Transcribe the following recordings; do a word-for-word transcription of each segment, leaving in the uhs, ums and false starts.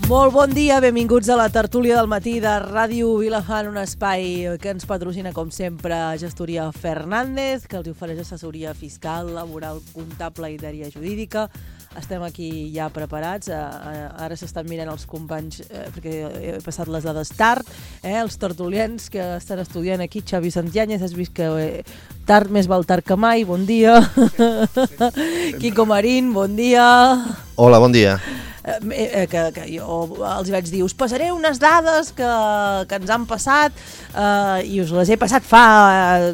Molt bon dia, benvinguts a la tertúlia del matí de Ràdio Vilafant, un espai que ens patrocina, com sempre, Gestoria Fernández, que els ofereix assessoria fiscal, laboral, comptable i d'àrea jurídica. Estem aquí ja preparats, ara s'estan mirant els companys, eh, perquè he passat les dades tard, eh, els tertulians que estan estudiant aquí. Xavi Santiáñez, has vist que eh, tard més val tard que mai, bon dia. Quico Marín, bon dia. Hola, bon dia. Eh, que, que jo els vaig dir, us passaré unes dades que, que ens han passat eh, i us les he passat fa eh,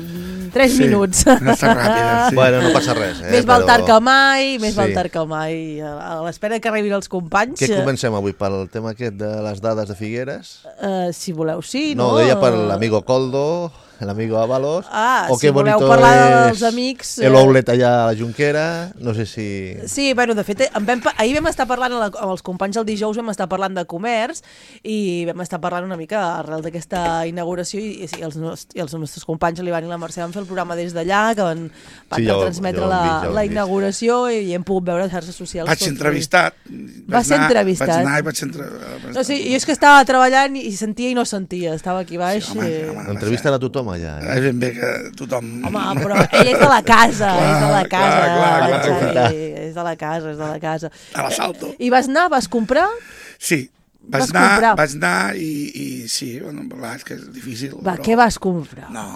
tres sí, minuts. No està ràpida, sí. Bueno, no passa res. Eh, més val tard que mai, més sí. val tard que mai. A l'espera que arribin els companys. Què comencem avui? Pel tema aquest de les dades de Figueres? Uh, si voleu, sí. No, no deia per l'amigo Coldo, l'amigo Ábalos. Ah, o si voleu bonito parlar dels amics... El outlet allà a la Junquera, no sé si... Sí, bueno, de fet, vam, ahir vam estar parlant amb els companys el dijous, vam estar parlant de comerç i vam estar parlant una mica arrel d'aquesta inauguració i, i, els, i els nostres companys, l'Ivan i la Mercè, van fer el programa des d'allà, que van, van sí, jo, transmetre jo la, vist, la inauguració i hem pogut veure les xarxes socials. Vaig ser entrevistat. Va ser entrevistat. Vaig anar i vaig ser entrevistat. No, sí, jo és que estava treballant i sentia i no sentia, estava aquí baix. Sí, home, home, home, entrevisten a tothom allà. Eh? És ben bé que tothom... Home, però ell és de la casa, clar, és de la casa, clar, clar, clar, Xavi, clar. és de la casa, és de la casa. A l'assalto. I vas anar, vas comprar? Sí, vaig vas anar, comprar? vaig anar i, i sí, bueno, clar, és que és difícil. Va, però... què vas comprar? No,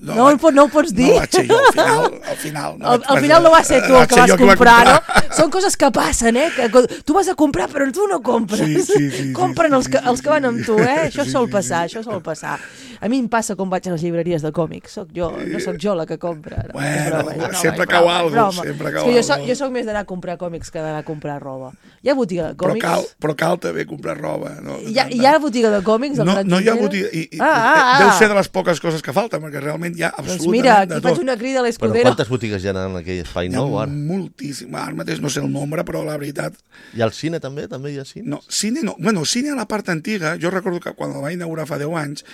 no, no, no, no ho pots dir? No vaig ser jo, al final. Al final, no, al, al final no va ser tu el que vas comprar, comprar, no? Són coses que passen, eh? Que tu vas a comprar però tu no compres. Sí, sí, sí, Compren sí, els, que, sí, els que van amb tu, eh? Això sí, sol sí, passar, sí, això sol passar. A mi em passa quan vaig a les llibreries de còmics. Soc jo, no sóc jo la que compra. No, bueno, broma, broma, sempre broma, cau broma, algo, broma. sempre cau És que jo algo. soc, jo soc més d'anar a comprar còmics que d'anar a comprar roba. Hi ha botiga de còmics? Però cal, però cal també comprar roba. No? Hi ha, hi ha botiga de còmics? No, no hi ha botiga. I, i, ah, ah, ah. Deu ser de les poques coses que falten, perquè realment hi ha absolutament doncs mira, aquí de tot. faig una crida a Però l'Escudero. quantes botigues hi ha en aquell espai Hi ha nou? Ara? moltíssim. Ara mateix no sé el nombre, però la veritat... I al cine també? També hi ha cine? No, cine no. Bueno, cine a la part antiga, jo recordo que quan el va inaugurar fa deu anys,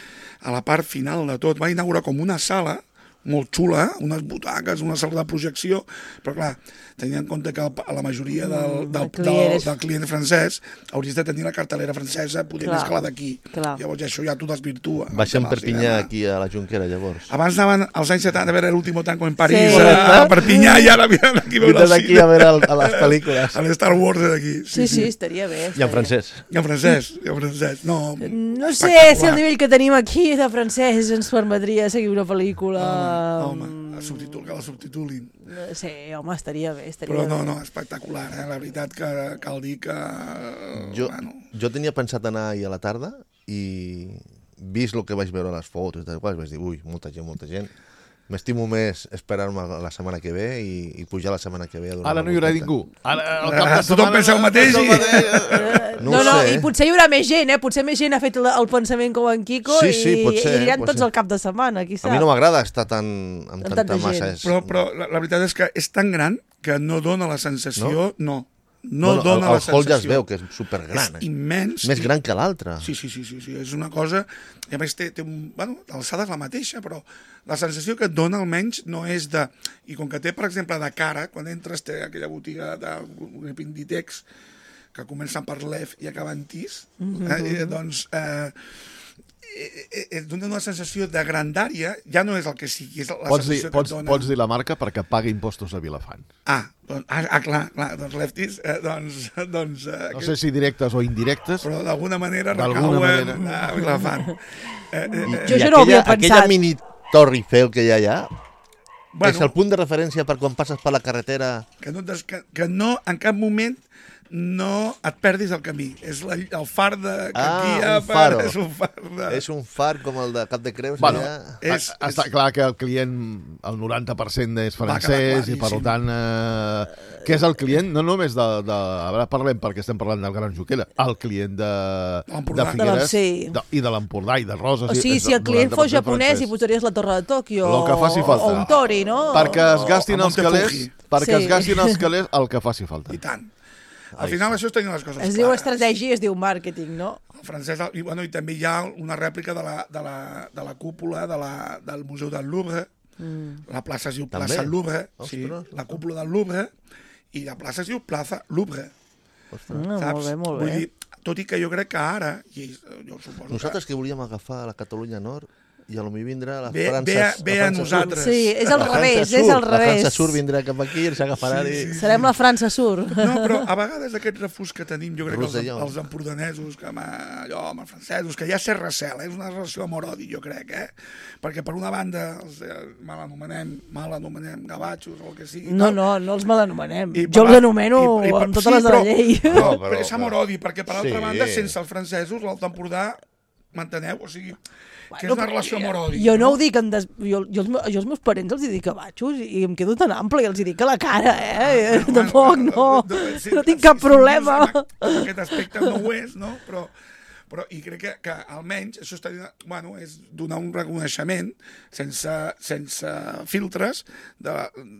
a la part final de tot, va inaugurar com una sala molt xula, unes butaques, una sala de projecció, però clar, tenint en compte que la majoria del, del, del, del, del client francès hauries de tenir la cartelera francesa poder més que la d'aquí. Llavors això ja t'ho desvirtua. Baixem Perpinyà aquí a la Junquera, llavors. Abans anaven als anys setanta a veure l'último tango en París, sí. a Perpinyà, i ara venen aquí a veure el cine. a veure el, a les pel·lícules. A l'Star Wars d'aquí. Sí, sí, sí, estaria bé. I en francès. I en francès, i en francès. No, no sé si el nivell que tenim aquí de francès ens permetria seguir una pel·lícula... Home, home, subtitul, que la subtitulin. Sí, home, estaria bé, estaria Però no, bé. no, espectacular, eh? La veritat que cal dir que... Jo, bueno. jo tenia pensat anar ahir a la tarda i vist el que vaig veure a les fotos i tal qual, vaig dir, ui, molta gent, molta gent. M'estimo més esperar-me la setmana que ve i, i pujar la setmana que ve. A Ara no hi haurà ningú. Ara, el cap de Tothom pensa el mateix. I... No, no, no i potser hi haurà més gent, eh? Potser més gent ha fet el, el pensament com en Quico sí, sí, i, ser, i aniran tots ser. al cap de setmana, qui sap. A mi no m'agrada estar tan, amb, amb tanta, tanta massa. És... Però, però la, la veritat és que és tan gran que no dona la sensació... No. no. bueno, No dona el, la sensació. El hall ja es veu que és supergran. És immens. Més gran que l'altre. Sí, sí, sí, sí, sí, és una cosa... I a més té, té un... Bueno, l'alçada és la mateixa, però la sensació que et dona almenys no és de... I com que té, per exemple, de cara, quan entres té aquella botiga de Pinditex que comença per l'E F i acaba en Tis, mm-hmm. eh, doncs... Eh, et dona una sensació de grandària, ja no és el que sigui, és la pots sensació dir, pots, que et dona... Pots dir la marca perquè pagui impostos a Vilafant. Ah, doncs, ah, ah clar, clar, doncs Lefties, eh, doncs... doncs eh, no sé si directes o indirectes. Però d'alguna manera recauen manera. a Vilafant. Eh, eh, jo això aquella, no ho havia pensat. Aquella mini Torre Eiffel que hi ha allà, bueno, és el punt de referència per quan passes per la carretera... Que no, que, que no en cap moment no et perdis el camí. És la, el far de... Que ah, aquí hi ha, un faro. És un far de... És un far com el de Cap de Creus. Bueno, allà. és, està és... clar que el client, el noranta per cent és francès i per tant, eh, què és el client? No només de... de ara parlem perquè estem parlant del Gran Junquera, el client de, de Figueres sí. de, i de l'Empordà i de Roses. O sigui, si el client fos japonès i posaries la Torre de Tòquio o, o un tori, no? Perquè es gastin els calés, perquè sí. es gastin els calés el que faci falta. I tant. Al final això és tenir les coses es clares. Es diu estratègia i es diu màrqueting, no? El francès, i, bueno, i també hi ha una rèplica de la, de la, de la cúpula de la, del Museu del Louvre. Mm. La plaça es diu també? Plaça Louvre, Ostres, sí, la cúpula del Louvre, i la plaça es diu Plaça Louvre. Ah, molt bé, molt bé. Vull dir, tot i que jo crec que ara, i jo suposo Nosaltres que... que volíem agafar la Catalunya Nord i a lo millor vindrà la Ve- França... ve a- la ve a França nosaltres. Sur. Sí, és al La França revés, Sur, és al La revés. França Sur vindrà cap aquí i s'agafarà Sí, i... sí, sí. Serem la França Sur. No, però a vegades aquest refús que tenim, jo crec que els, Roselló. els empordanesos, que amb, allò, amb els francesos, que ja s'és recel, eh? És una relació amor-odi, jo crec, eh? Perquè per una banda els eh, mal anomenem, mal anomenem gavatxos o el que sigui. No, tal. no, no els mal anomenem. I Jo per els la- anomeno i- i per- amb totes les de però- la llei. No, No, però, però- és amor-odi, perquè per l'altra Sí. banda, sense els francesos, l'Alt Empordà, m'enteneu? O sigui, que és Bueno, una però relació amor-odi. Jo no ho dic en des... jo, jo, els, me- jo als meus parents els hi dic gavatxos i em quedo tan ample i els hi dic a la cara, eh? Bueno, Tampoc, bueno, no. no, sí, No tinc sí, cap sí, problema. sí, en aquest aspecte no ho és, no? Però, però i crec que, que almenys això està, bueno, és donar un reconeixement sense, sense filtres de,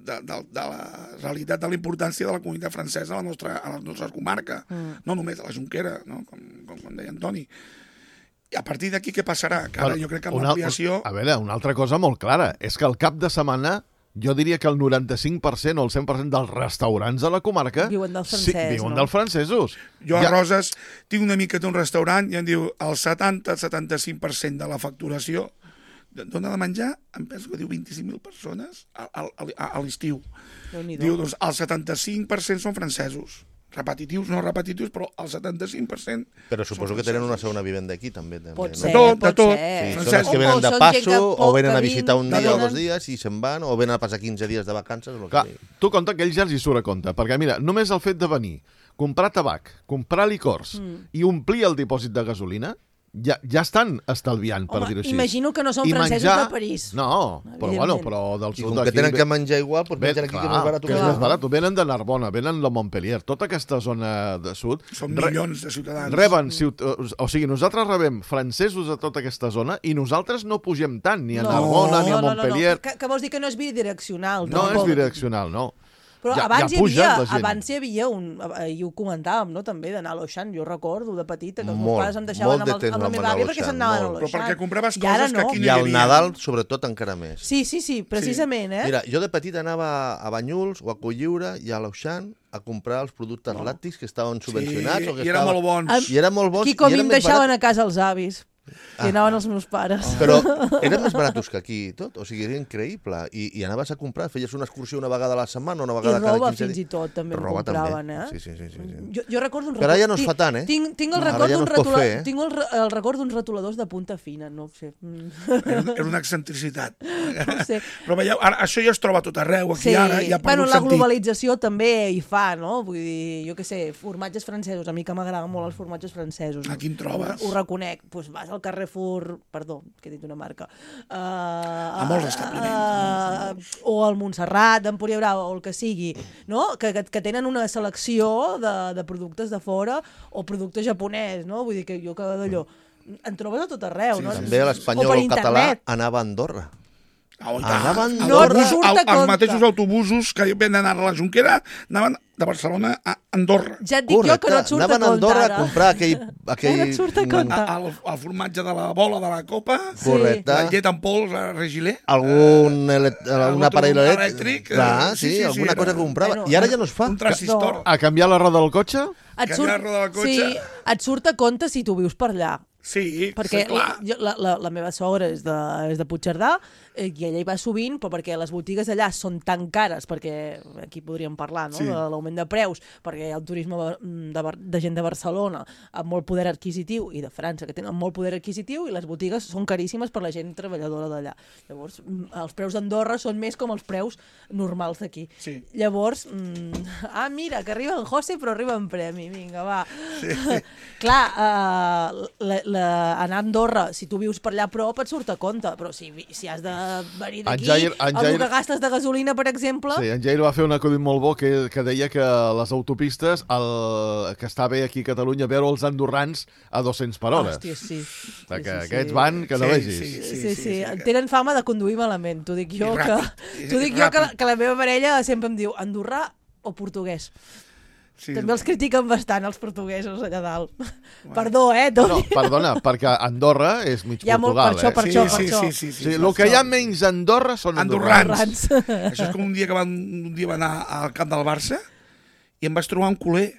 de, de, de la realitat de la importància de la comunitat francesa a la nostra, a la nostra comarca, mm. no només a la Jonquera, no? com, com, com deia Antoni. I a partir d'aquí què passarà? Que ara jo crec que amb Una- l'ampliació... A veure, una altra cosa molt clara, és que al cap de setmana jo diria que el noranta-cinc per cent o el cent per cent dels restaurants de la comarca Viuen del sí, francès, viuen no? dels francesos. Jo a Roses tinc una mica d'un restaurant i em diu el setanta a setanta-cinc per cent de la facturació dona de menjar, em penso que diu vint-i-cinc mil persones a, a, a, a l'estiu. Déu-n'hi-do. Diu, doncs el setanta-cinc per cent són francesos. Repetitius, no repetitius, però el setanta-cinc per cent... Però suposo que tenen una segona vivenda aquí, també. també Pot no? ser, De tot, de pot tot. ser. Sí, Francesc. són els que O- venen o de són gent passo, que o poc venen a que visitar un vin- dia o venen- dos dies i se'n van, o venen a passar quinze dies de vacances. El Clar, que... tu compta que ells ja els hi surt a compte, perquè mira, només el fet de venir, comprar tabac, comprar licors Mm. i omplir el dipòsit de gasolina, ja, ja estan estalviant, per Home, dir-ho així. imagino que no són I francesos menjar- de París. No, però Evidentment. bueno, però del I sud com que d'aquí tenen ve- que menjar igual, doncs ve- mengen aquí que és clar, més barat. que és clar. més barat. Venen de Narbona, venen de Montpellier, tota aquesta zona de sud. Són re- milions de ciutadans. Reben, ciut... o sigui, nosaltres rebem francesos a tota aquesta zona i nosaltres no pugem tant, ni a Narbona, ni a no, no, Montpellier. No, no. Que, que vols dir que no és bidireccional. No és tampoc. bidireccional, no. Però Ja- abans, ja hi puja havia, la gent. abans hi havia un... eh, I ho comentàvem, no?, també, d'anar a l'Oixant. Jo recordo de petita que els meus Molt, pares em deixaven molt amb, de el, temps amb la vam meva anar a àvia perquè l'Oixant, se'n anaven a molt. l'Oixant. Però perquè compraves I ara coses que no. aquí no I hi al havia. Nadal, sobretot, encara més. Sí, sí, sí, precisament, eh? Mira, jo de petit anava a Banyuls o a Colliure i a l'Auxant a comprar els productes Oh. làctics que estaven subvencionats. Sí, o que i eren estaven... molt bons. Am- I eren molt bons. Aquí com i em eren més deixaven barats. a casa els avis. I anaven els meus pares. Però eren més baratos que aquí i tot. O sigui, era increïble. I, i anaves a comprar, feies una excursió una vegada a la setmana, una I vegada cada roba quinze fins i dies. tot també em Roba compraven, també. eh? Sí, sí, sí, sí, sí. Jo, jo recordo un Però ara ja no es tinc- fa tant, eh? Tinc, tinc el Ara record ja no d'un es pot retula... fer, eh? tinc el, re- el record d'uns retoladors de punta fina, no ho sé. Mm. Era, era una excentricitat. No ho sé. Però veieu, ara, això ja es troba a tot arreu, aquí Sí, ara ja ha bueno, perdut la sentit. globalització també hi fa, no? Vull dir, jo què sé, formatges francesos, a mi que m'agraden molt els formatges francesos. Aquí en trobes. Ho, ho reconec. Pues vas al Carrefour, perdó, que he dit una marca, uh, a molts establiments, Uh, o al Montserrat, d'Empúria Brava, o el que sigui, no? Que, que, que tenen una selecció de, de productes de fora o producte japonès, no? Vull dir que jo que d'allò en trobes a tot arreu, Sí, no? També O l'espanyol per o el català internet. anava a Andorra. Oh, i Anaven tant. No Autobús- et surt a el- els compte. mateixos autobusos que venen ara a la Jonquera anaven de Barcelona a Andorra. Ja et dic jo que no et surt anaven a a compte, Andorra ara. a comprar aquell... aquell... Ja no et surt a compte. A- El, el formatge de la bola de la copa, Correcte. la llet en pols a Regilé. Algun, ele... un algun aparell elèctric. elèctric, Clar, eh, sí, sí, sí, alguna sí, cosa era- que comprava. Bueno, I ara ja no es fa. Un transistor. A canviar la roda del cotxe? Et Canviar surt, la roda del cotxe. sí, et surt a compte si tu vius per allà. Sí, Perquè sí, clar. la, jo- la, la, la meva sogra és de, és de Puigcerdà eh, i ella hi va sovint, però perquè les botigues allà són tan cares, perquè aquí podríem parlar, no?, Sí. de l'augment de preus, perquè hi ha el turisme de, de, de gent de Barcelona amb molt poder adquisitiu i de França, que tenen molt poder adquisitiu, i les botigues són caríssimes per la gent treballadora d'allà. Llavors, mm, els preus d'Andorra són més com els preus normals d'aquí. Sí. Llavors, mm, ah, mira, que arriba en José, però arriba en premi, vinga, va. Sí. Clar, uh, la, la, anar a Andorra, si tu vius per allà a prop, et surt a compte, però si, vi- si has de venir En d'aquí, Jair- en el Jair- que gastes de gasolina, per exemple... Sí, en Jair va fer un acudit molt bo que, que deia que les autopistes, el, que està bé aquí a Catalunya, veure els andorrans a dos-cents per hora. Hòstia, sí. Perquè sí, sí, aquests sí. van que no Sí, vegis. sí, Sí, sí, sí. Tenen fama de conduir malament. T'ho dic jo, I que, ràpid, i t'ho dic jo que, ràpid. que la meva parella sempre em diu andorrà o portuguès. Sí. També els critiquen bastant, els portuguesos, allà dalt. Perdó, eh, No, Toni? perdona, perquè Andorra és mig Hi ha molt- Portugal, per això, per eh? això, sí, per això. sí, sí, sí, Sí, sí, el que hi ha menys a Andorra són andorrans. Andorrans. Això és com un dia que van, un dia va anar al camp del Barça i em vaig trobar un culer.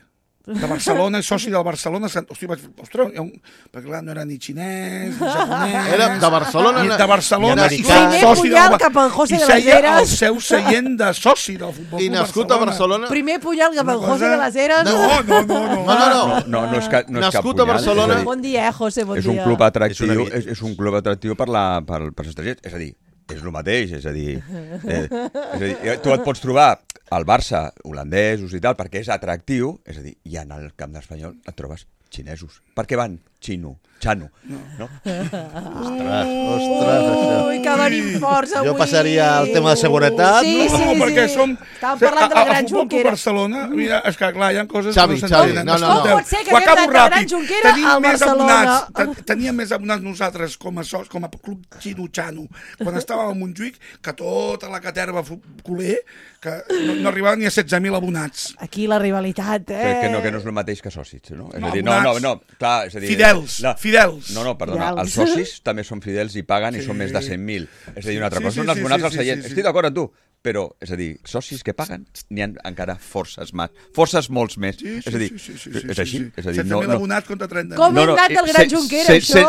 de Barcelona, soci del Barcelona. Hosti, vaig, ostres, un... perquè clar, no era ni xinès, ni japonès... Era de Barcelona, ni de Barcelona i i, Primer soci punyal del... cap al José i de les seia Heres. el seu seient de soci del Futbol I Club nascut a Barcelona... Primer punyal cap al Una José cosa- de les Heres. No, no, no, no. No, no, no. No, no és, ca, no és cap Nascut a punyal. Barcelona. És, a dir, Bon dia, eh, José, bon és un dia. club atractiu, És una- és, és un club atractiu per, la, per, per els estrangers. És a dir, és el mateix, és a dir, eh, és a dir, tu et pots trobar al Barça holandesos i tal, perquè és atractiu, és a dir, i en el camp d'Espanyol et trobes xinesos. Per què van? Xino, xano, no? Ostres, ostres, això. Ui, que venim forts avui. Jo passaria al tema de seguretat. Sí, No, sí, sí. perquè som... Estàvem parlant de la a- a- Gran a Futbol Club Junquera. Barcelona, mira, és que clar, hi ha coses Xavi, que no Xavi, s'entenen. no, no, no. Escolteu, Com pot ser que ho haguem acabo anat de Gran ràpid. Junquera Tenim al més Barcelona? abonats, te- teníem més abonats nosaltres com a, soc, com a club xino-xano quan estàvem a Montjuïc que tota la caterva fu- culer que no, no arribava ni a setze mil abonats. Aquí la rivalitat, eh? Que, que, no, que no és el mateix que socis, no? És No, a dir, no, no, abonats. no, clar, és a dir... Fidels, no, fidels. No, no, perdona, Fidels. els socis també són fidels i paguen i Sí. són més de cent mil. És a dir, una altra Sí, cosa, sí, són els sí, bonats sí, al sí, seient. sí, sí. Estic d'acord amb tu, però, és a dir, socis que paguen, n'hi ha encara forces més, forces molts més. Sí, sí, és a dir, sí, sí, sí, sí, és així, sí. és a dir, setze no... mil no abonats contra trenta mil. Com hem anat del Gran Junquera, això?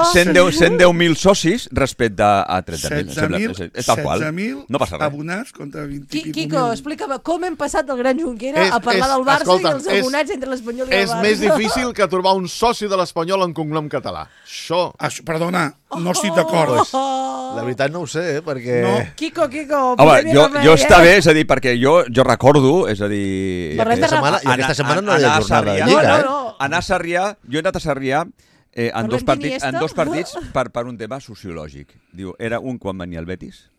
cent deu mil socis respecte a trenta mil. setze mil És, és tal qual. setze mil No passa res. abonats contra vint i Qui, pico Quico, mil. explica'm, com hem passat del Gran Junquera És- a parlar és- del Barça escolta'm, i els és- abonats entre l'Espanyol i el És Barça? més difícil que trobar un soci de l'Espanyol en cognom català. Això... Això, perdona, no estic d'acord. Oh, La veritat no ho sé, eh, perquè... No. Quico, Quico, Home, posem-hi jo, remei, jo eh? està bé, és a dir, perquè jo, jo recordo, és a dir... Parlem de aquesta setmana, I aquesta setmana no hi ha anar a jornada de Sarrià- Lliga, No, eh? no, no. Anar a Sarrià, jo he anat a Sarrià eh, en, Parlem dos partits, d'Iniesta? en dos partits per, per un tema sociològic. Diu, era un quan venia el Betis,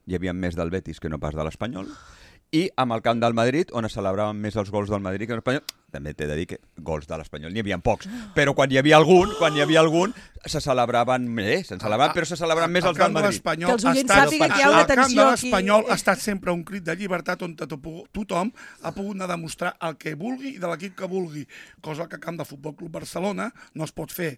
hi havia més del Betis que no pas de l'Espanyol, i amb el camp del Madrid, on es celebraven més els gols del Madrid que l'Espanyol, també t'he de dir que gols de l'Espanyol n'hi havia pocs, però quan hi havia algun, quan hi havia algun, se celebraven més, se celebraven, però se celebraven més El els del camp de Madrid. l'Espanyol Que els oients ha estat- sàpiguen que hi ha una el camp tensió de aquí. l'Espanyol ha estat sempre un crit de llibertat on to- tothom ha pogut anar a demostrar el que vulgui i de l'equip que vulgui, cosa que al camp de Futbol Club Barcelona no es pot fer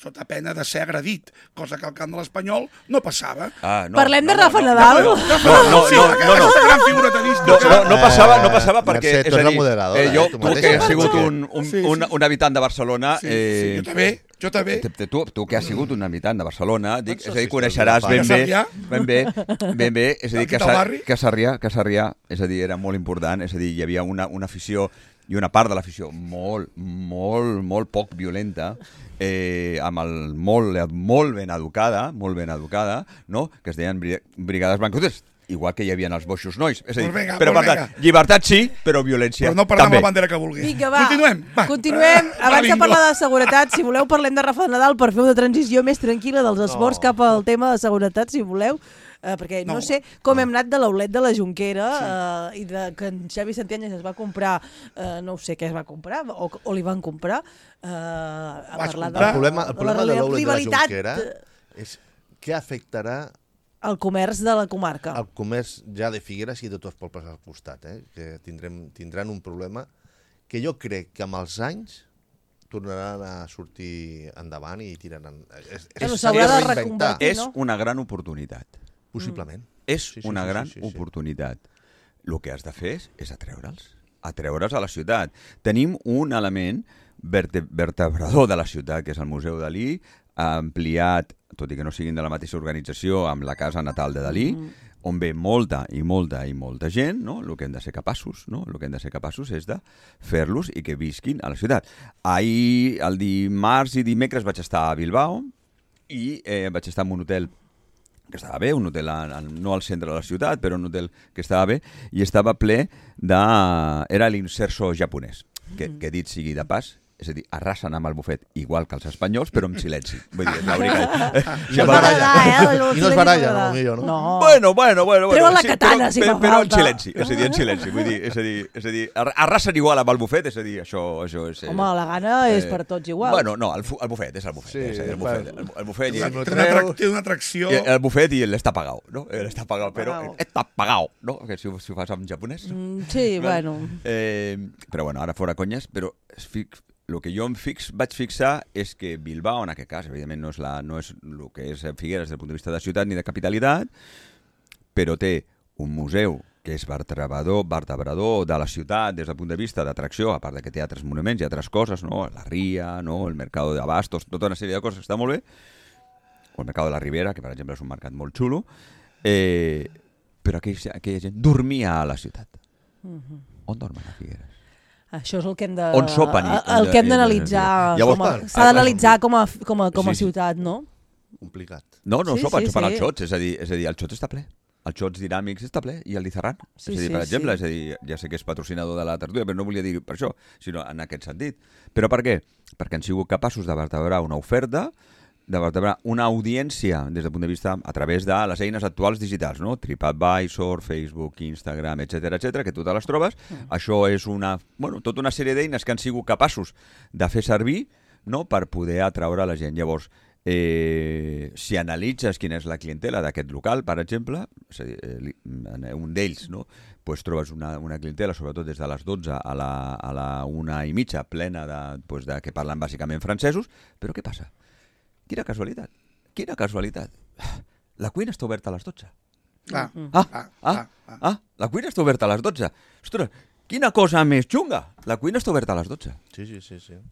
sota pena de ser agredit, cosa que al camp de l'Espanyol no passava. Ah, no, Parlem no, de no, Rafa no, Nadal? No, no, no, Sí, no, aquesta- no, no. aquesta gran figura tenística. No, no, no passava, no passava Eh, perquè, Mercè, tu és a ets la dir, moderadora, eh, jo, eh, tu tu que mateixa. has sigut Sí, un, un, sí, sí. un, un habitant de Barcelona... Sí, eh, sí, jo també, jo també. Tu, tu, tu que has sigut un habitant de Barcelona, dic, és a dir, socis coneixeràs teus de ben bé, Sarrià? ben bé, ben bé, és a dir, Aquí que, del Sa- barri? que Sarrià, que Sarrià, és a dir, era molt important, és a dir, hi havia una, una afició i una part de l'afició molt, molt, molt poc violenta, eh, amb el molt, molt ben educada, molt ben educada, no?, que es deien bri- brigades blanques, igual que hi havia els boixos nois. És a dir, Pues venga, però pues per tant, venga. llibertat sí, però violència Però no parlem també. la bandera que vulgui. Vinga, va. Continuem. Va. Continuem. Ah, Abans de bingo. parlar de seguretat, si voleu, parlem de Rafa Nadal per fer una transició més tranquil·la dels esports No. cap al tema de seguretat, si voleu. Uh, perquè no, No. sé com hem anat de l'aulet de la Jonquera uh, i de que en Xavi Santianyes es va comprar, uh, no ho sé què es va comprar, o, o li van comprar, uh, a Vaig parlar comprar. El problema, el problema de l'Oulet de la rivalitat, Jonquera és què afectarà el comerç de la comarca. el comerç ja de Figueres i de tots els pobles al costat, eh? Que tindrem, tindran un problema que jo crec que amb els anys tornaran a sortir endavant i tiraran... És, és, Bueno, és s'haurà de reinventar, reconvertir. És no? una gran oportunitat. possiblement. És Sí, sí, una sí, gran sí, sí, sí. oportunitat. El que has de fer és, és atreure'ls, atreure'ls a la ciutat. Tenim un element verte, vertebrador de la ciutat, que és el Museu Dalí, ampliat, tot i que no siguin de la mateixa organització, amb la casa natal de Dalí, mm. on ve molta i molta i molta gent, no? El que hem de ser capaços, no? El que hem de ser capaços és de fer-los i que visquin a la ciutat. Ahir, el dimarts i dimecres vaig estar a Bilbao i eh, vaig estar en un hotel que estava bé, un hotel en, en, no al centre de la ciutat, però un hotel que estava bé, i estava ple de... Era l'inserso japonès, que, que dit sigui de pas, és a dir, arrasen amb el bufet igual que els espanyols, però amb silenci. Vull dir, és la única... No m'agrada, eh? El I no es silenci baralla, m'agrada. no, millor, no? No. Bueno, bueno, bueno. bueno Treuen la katana, però, si però, fa però en falta. silenci, és a dir, en silenci. Vull dir, és a dir, és a dir ar- arrasen igual amb el bufet, és a dir, això, això és... eh, Home, la gana és per tots igual. Bueno, no, el, fu- el bufet, és el bufet. Sí, és a dir, el bueno. bufet, el, el bufet i, Sí, no Té una, atrac- té una atracció... i el bufet i l'està pagat, no? L'està pagat, però Pagao. està pagat, no? Que si, ho- si ho fas en japonès. No? Mm, sí, bueno. Eh, però bueno, ara fora conyes, però es fix, el que jo em fix, vaig fixar és que Bilbao, en aquest cas, evidentment no és, la, no és el que és Figueres des del punt de vista de ciutat ni de capitalitat, però té un museu que és vertebrador, vertebrador de la ciutat des del punt de vista d'atracció, a part de que té altres monuments i altres coses, no? La Ria, no? El Mercado de Abastos, tota una sèrie de coses que està molt bé, o el Mercado de la Ribera, que per exemple és un mercat molt xulo, eh, però aquella, aquella gent dormia a la ciutat. Uh-huh. On dormen a Figueres? Això és el que hem de... On sopen? I, el que hem d'analitzar. S'ha d'analitzar com a, com a, com a sí, ciutat, no? Complicat. No, no sí, sopen, sí, sopen sí. als xots, és a dir, és a dir, el xot està ple. El xots dinàmics està ple i el Lizarran. Sí, és a dir, sí, per exemple, sí. és a dir, ja sé que és patrocinador de la tertúlia, però no volia dir per això, sinó en aquest sentit. Però per què? Perquè han sigut capaços de vertebrar una oferta, de vertebrar una audiència des del punt de vista a través de les eines actuals digitals, no? TripAdvisor, Facebook, Instagram, etcètera, etcètera, que tu te les trobes. Mm. Això és una, bueno, tota una sèrie d'eines que han sigut capaços de fer servir, no?, per poder atraure la gent. Llavors, Eh, si analitzes quina és la clientela d'aquest local, per exemple, és a dir, eh, un d'ells, no? Pues trobes una, una clientela, sobretot des de les dotze a la, a la una i mitja, plena de, pues de que parlen bàsicament francesos, però què passa? Quina casualitat, quina casualitat. La cuina està oberta a les dotze. Ah, ah, ah, ah, ah, ah, la cuina està oberta a les dotze. Ostres, quina cosa més xunga. La cuina està oberta a les dotze. Sí, sí, sí, sí.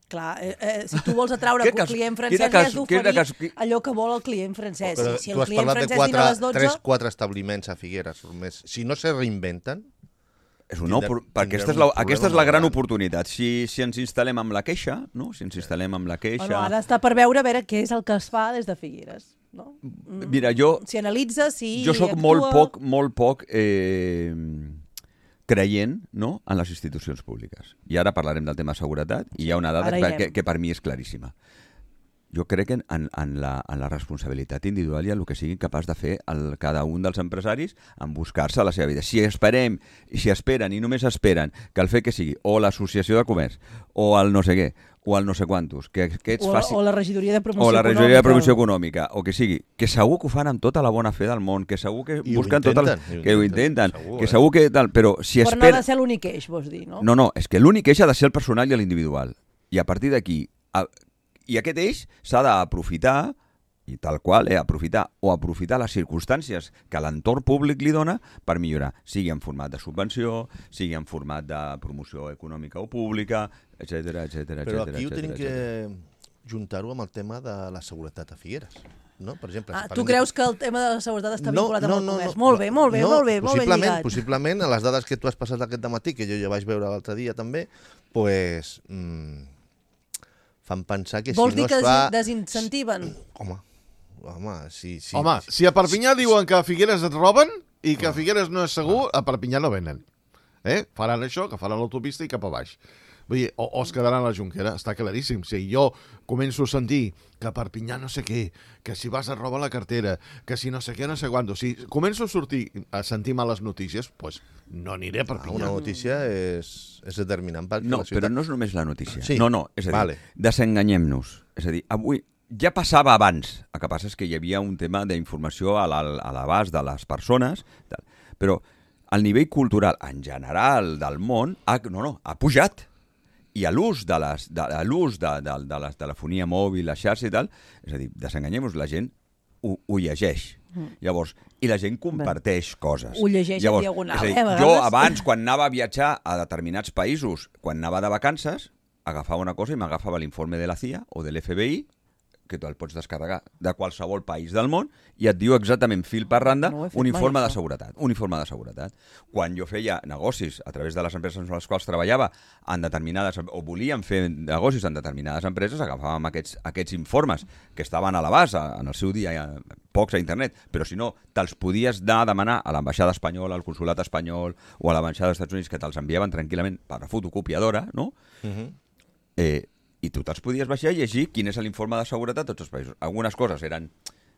Clar, eh, eh, si tu vols atraure un client francès, li has d'oferir allò que vol el client francès. Però si tu el has client parlat de francès quatre, vine a les dotze... tres, quatre establiments a Figueres. Més. Si no se reinventen... És una opor... perquè aquesta és, la, aquesta és la gran oportunitat. Si, si ens instal·lem amb la queixa, no? Si ens instal·lem amb la queixa... Bueno, ara està per veure a veure què és el que es fa des de Figueres. No? Mira, jo... Si analitza, si Jo sóc actua... molt poc, molt poc... Eh... creient, no?, en les institucions públiques. I ara parlarem del tema seguretat i hi ha una dada que, que, que per mi és claríssima. Jo crec en, en, en, la, en la responsabilitat individual i en el que siguin capaç de fer el, cada un dels empresaris en buscar-se la seva vida. Si esperem, si esperen i només esperen que el fet que sigui o l'associació de comerç o el no sé què, o el no sé quantos, que, que ets o, faci... o la regidoria de promoció o la econòmica. regidoria de promoció econòmica, o que sigui, que segur que ho fan amb tota la bona fe del món, que segur que I busquen ho tot el... intenten, que ho intenten, segur, que eh? segur que tal, però si Però espera... no ha de ser l'únic eix, vols dir, no? No, no, és que l'únic eix ha de ser el personal i l'individual. I a partir d'aquí, a... i aquest eix s'ha d'aprofitar, i tal qual, eh, aprofitar o aprofitar les circumstàncies que l'entorn públic li dona per millorar, sigui en format de subvenció, sigui en format de promoció econòmica o pública, etcètera, etcètera, Però etcètera, aquí ho tenim que etcètera. juntar-ho amb el tema de la seguretat a Figueres. No? Per exemple, Ah, si tu parlem creus de... que el tema de la seguretat està no, vinculat no, amb el no, comerç? no, molt bé, molt bé, no, molt bé, molt ben possiblement, lligat. Possiblement, a les dades que tu has passat aquest matí, que jo ja vaig veure l'altre dia també, pues, mmm, fan pensar que Vols si no dir que es fa... desincentiven? Home, home, sí, sí. Home, si a Perpinyà diuen que a Figueres et roben i que a Figueres no és segur, a Perpinyà no venen. Eh? Faran això, que faran l'autopista i cap a baix. Vull dir, o, o es quedaran a la Jonquera, està claríssim. Si jo començo a sentir que a Perpinyà no sé què, que si vas a robar la cartera, que si no sé què, no sé quant, si començo a sortir a sentir males notícies, doncs no aniré a Perpinyà. Una notícia és, és determinant perquè No, la ciutat... però no és només la notícia. Sí. No, no, és a dir, Vale. desenganyem-nos. És a dir, avui ja passava abans, el que passa és que hi havia un tema d'informació a l'abast de les persones, tal. Però el nivell cultural en general del món ha, no, no, ha pujat. I a l'ús de, les, de, a l'ús de, de, de la telefonia mòbil, la xarxa i tal, és a dir, desenganyem-nos, la gent ho, ho llegeix. Mm. Llavors, i la gent comparteix Bé. coses. Ho llegeix Llavors, en diagonal, és a dir, eh, a vegades. Jo abans, quan anava a viatjar a determinats països, quan anava de vacances, agafava una cosa i m'agafava l'informe de la C I A o de l'F B I, que tu el pots descarregar de qualsevol país del món i et diu exactament fil per randa no un informe mai, de seguretat. Un informe de seguretat. Quan jo feia negocis a través de les empreses amb les quals treballava en determinades, o volíem fer negocis en determinades empreses, agafàvem aquests, aquests informes que estaven a l'abast en el seu dia, pocs a internet, però si no, te'ls podies anar a demanar a l'ambaixada espanyola, al consulat espanyol o a l'ambaixada dels Estats Units, que te'ls enviaven tranquil·lament per la fotocopiadora, no? Uh-huh. Eh, i tu te'ls podies baixar i llegir quin és l'informe de seguretat de tots els països. Algunes coses eren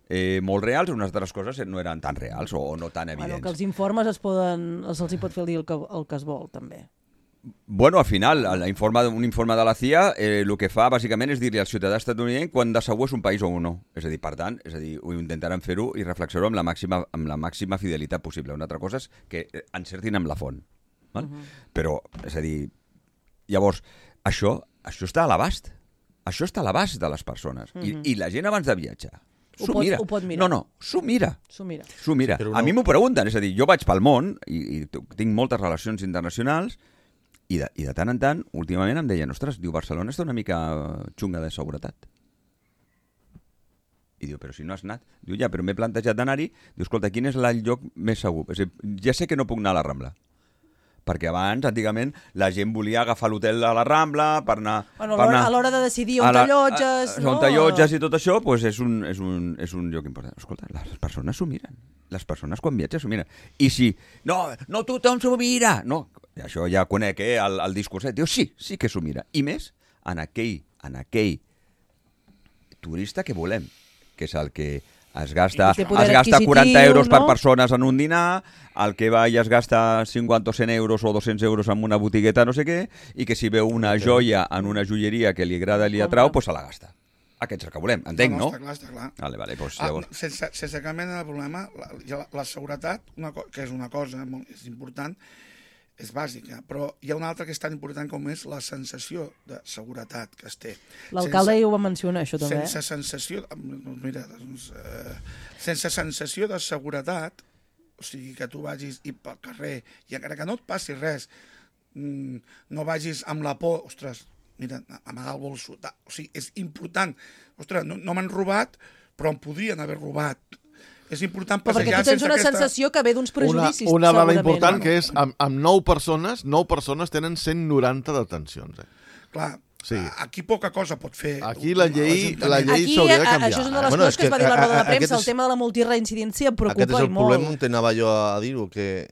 eh, molt reals, unes altres coses no eren tan reals o, o no tan evidents. Bueno, que els informes es poden, se'ls hi pot fer el que, el que es vol, també. Bueno, al final, l'informe, un informe de la C I A eh, el que fa, bàsicament, és dir-li al ciutadà estatunidenc quan de segur és un país o un no. És a dir, per tant, és a dir, ho intentarem fer-ho i reflexionar-ho amb la màxima, amb la màxima fidelitat possible. Una altra cosa és que encertin amb la font. Val? Uh-huh. Però, és a dir, llavors, això, això està a l'abast. Això està a l'abast de les persones. Uh-huh. I, I la gent abans de viatjar, Ho pot, mira. ho pot mirar. No, no, s'ho mira. S'ho mira. S'ho mira. Sí, però A no- mi m'ho pregunten, és a dir, jo vaig pel món i, i tinc moltes relacions internacionals i de, i de tant en tant, últimament em deien, ostres, diu, Barcelona està una mica xunga de seguretat. I diu, però si no has anat. Diu, ja, però m'he plantejat d'anar-hi. Diu, escolta, quin és el lloc més segur? És a dir, ja sé que no puc anar a la Rambla. Perquè abans, antigament, la gent volia agafar l'hotel a la Rambla per anar... Bueno, per anar a l'hora de decidir on a la- t'allotges, a- no? On t'allotges i tot això, doncs és un, és, un, és un lloc important. Escolta, les persones s'ho miren. Les persones quan viatgen s'ho miren. I si, no, no tothom s'ho mira. No, això ja conec, eh, el, el discurset. Diu, sí, sí que s'ho mira. I més en aquell, en aquell turista que volem, que és el que es gasta, I té poder es gasta quaranta adquisitiu, euros per no? persones en un dinar, el que va i es gasta cinquanta o cent euros o dos-cents euros en una botigueta no sé què, i que si veu una joia en una joieria que li agrada i li atrau, doncs se la gasta. Aquest és el que volem, entenc, no? Està clar, està clar. Vale, vale, doncs Ah, llavors... sense, sense cap mena de problema, la, la, la seguretat, una co que és una cosa molt és important, és bàsica, però hi ha una altra que és tan important com és la sensació de seguretat que es té. L'alcalde Sense- ja ho va mencionar, això també. sense sensació, doncs mira, doncs, eh, sense sensació de seguretat, o sigui, que tu vagis i pel carrer i encara que no et passi res, mm, no vagis amb la por, ostres, mira, amagar el bolso, ta, o sigui, és important, ostres, no, no m'han robat, però em podrien haver robat. És important Però perquè passejar tu tens sense una aquesta... sensació que ve d'uns Una, prejudicis, una dada segurament. important no? que és, amb, amb nou persones, nou persones tenen cent noranta detencions. Eh? Clar, Sí. aquí poca cosa pot fer. Aquí la llei- l'Ajuntament. la llei- Aquí, s'hauria de a- canviar, això és una de eh? les Bueno, coses és que es va que dir a la a- roda de a- premsa, aquest el és- tema de la multireincidència em Aquest preocupa és el i molt. problema on anava jo a dir-ho, que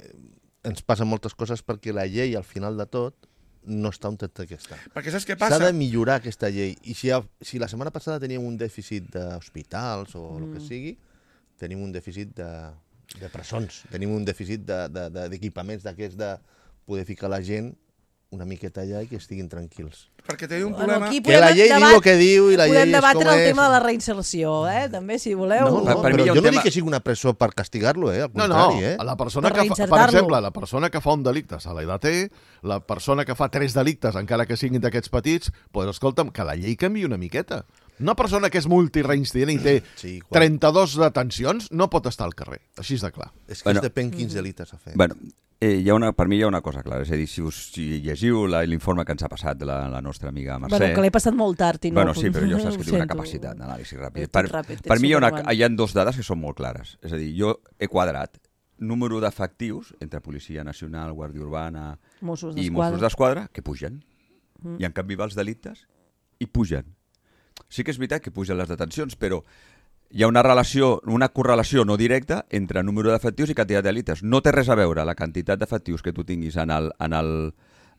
ens passen moltes coses perquè la llei, al final de tot, no està on té que està. Perquè saps què S'ha passa? de millorar aquesta llei. I si, ha, si la setmana passada teníem un dèficit d'hospitals o el que sigui, tenim un dèficit de, de presons, tenim un dèficit d'equipaments de, de, d'equipaments d'aquests de poder ficar la gent una miqueta allà i que estiguin tranquils. Perquè té un Bueno, problema... aquí Que la llei diu el que diu i la llei podem és debatre com el és. tema de la reinserció, eh? també, si voleu. No, no, Per- per mi però hi ha jo un no tema- dic que sigui una presó per castigar-lo, eh? Al No, contrari, no, eh? la persona Per que fa, per reinsertar-lo. exemple, la persona que fa un delicte se l'ha de té, la persona que fa tres delictes, encara que siguin d'aquests petits, doncs escolta'm, que la llei canvi una miqueta. Una persona que és multireincident i té Sí, quan- trenta-dos detencions no pot estar al carrer, així de clar. És que Bueno. bueno, depèn quins delictes ha fet. Bueno, eh, hi ha una, per mi hi ha una cosa clara, és a dir, si, us, si llegiu la- l'informe que ens ha passat la, la nostra amiga Mercè... Bueno, que l'he passat molt tard i no... Bueno, sí, però jo saps que ho tinc una sento. capacitat d'anàlisi ràpid. Eh, tot Per, ràpid, per ets mi hi ha, una, Superman. hi ha dos dades que són molt clares. És a dir, jo he quadrat número d'efectius entre Policia Nacional, Guàrdia Urbana Mossos i d'Esquadra. Mossos d'Esquadra que pugen. Mm. I en canvi va els delictes i pugen. Sí que és veritat que pugen les detencions, però hi ha una relació, una correlació no directa entre número d'efectius i quantitat de delictes. No té res a veure la quantitat d'efectius que tu tinguis en el, en el,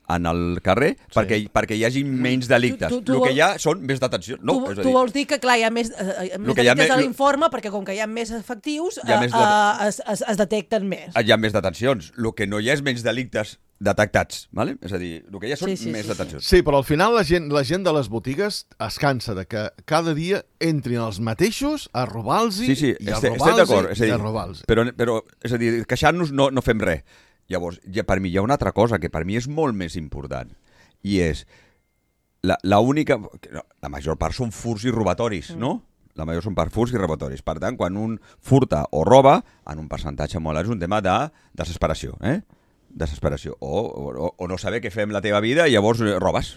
en el carrer sí. perquè, perquè hi hagi menys delictes. Tu- tu- tu el que vol- hi ha són més detencions. No, tu, és a tu dir, vols dir que, clar, hi ha més, eh, més que hi ha delictes a més- l'informe, perquè com que hi ha més efectius, Hi ha eh, més de- eh, es, es, es detecten més. hi ha més detencions. El que no hi ha és menys delictes detectats. Vale? És a dir, el que hi ha són Sí, sí, més sí, sí. detencions. Sí, però al final la gent, la gent de les botigues es cansa de que cada dia entrin els mateixos a robar-los Sí, sí, i a estic, estic robar-los d'acord. És a i a dir, robar-los. però, però, és a dir, queixant-nos no, no fem res. Llavors, ja, per mi hi ha una altra cosa que per mi és molt més important, i és la, la única... no, la major part són furts i robatoris, mm. no? La major són per furts i robatoris. Per tant, quan un furta o roba, en un percentatge molt alt, és un tema de desesperació, eh? Desesperació. O, o, o no saber què fem la teva vida i llavors eh, robes.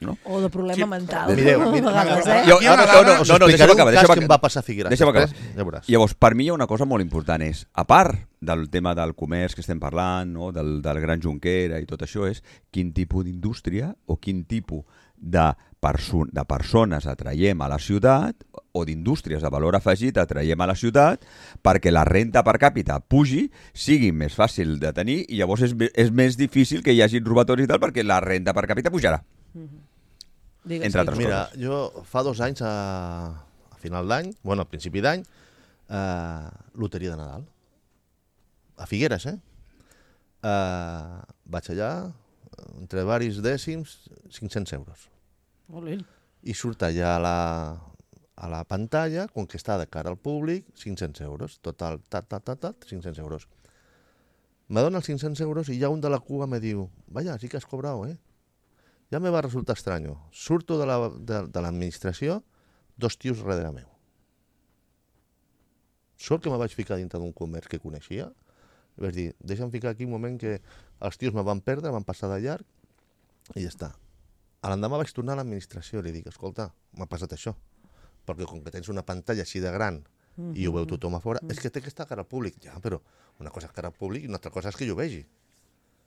No? O de problema Sí, mental. mireu, a mireu, vegades, mireu, eh? Jo, Aquí hi ha no, una no, no, dada- no, Us no, explicaré deixa'm acabar, un cas deixa'm que em acabar. va passar a Figueres. Deixa'm acabar. Després, ja veuràs. Llavors, per mi hi ha una cosa molt important, és, a part del tema del comerç que estem parlant, no? del, del Gran Junquera i tot això, és quin tipus d'indústria o quin tipus de, perso de persones atraiem a la ciutat o d'indústries de valor afegit atraiem a la ciutat perquè la renta per càpita pugi, sigui més fàcil de tenir i llavors és, és més difícil que hi hagi robatoris i tal perquè la renta per càpita pujarà. Digues, Entre sí. altres Mira, coses. jo fa dos anys, a, a final d'any, bueno, al principi d'any, eh, loteria de Nadal. A Figueres, eh? eh? Vaig allà, entre varis dècims, cinc-cents euros. Molt bé. I surt allà a la, a la pantalla, com que està de cara al públic, cinc-cents euros. Total, tat, tat, tat, tat, cinc-cents euros. Me dona els cinc-cents euros i ja un de la Cuba me diu, vaya, sí que has cobrado, eh? Ja me va resultar estrany. Surto de la, de, de l'administració, dos tios darrere meu. sort que me vaig ficar dintre d'un comerç que coneixia, i vaig dir, deixa'm ficar aquí un moment que els tios me van perdre, van passar de llarg, i ja està. A l'endemà vaig tornar a l'administració i li dic, escolta, m'ha passat això, perquè com que tens una pantalla així de gran mm-hmm. i ho veu tothom a fora, mm-hmm. és que té que estar a cara al públic. Ja, però una cosa és cara al públic i una altra cosa és que jo ho vegi.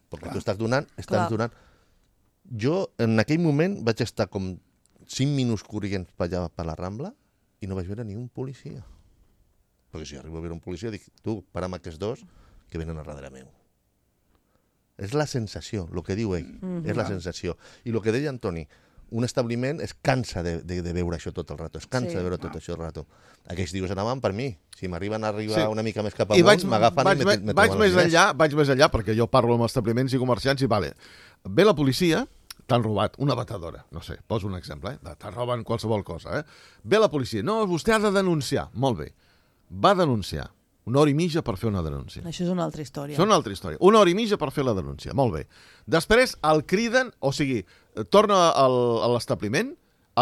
Perquè Clar. tu estàs donant, estàs Clar. donant... Jo, en aquell moment, vaig estar com cinc minuts corrents per allà per la Rambla i no vaig veure ni un policia. Perquè si arribo a veure un policia, dic, tu, para amb aquests dos que venen a darrere meu. És la sensació, el que diu ell, mm-hmm. és la sensació. I el que deia Antoni, un establiment es cansa de, de, de veure això tot el rato, es cansa sí. de veure tot això el rato. Aquells dius anaven per mi. Si m'arriben a arribar sí. una mica més cap amunt, m'agafen i me, me vaig més enllà, vaig més enllà, perquè jo parlo amb establiments i comerciants i vale, ve la policia, t'han robat una batedora, no sé, poso un exemple, eh? Te roben qualsevol cosa, eh? Ve la policia, no, vostè ha de denunciar, molt bé, va denunciar, una hora i mitja per fer una denúncia. Això és una altra història. És una altra història. Una hora i mitja per fer la denúncia. Molt bé. Després el criden, o sigui, torna al, a l'establiment,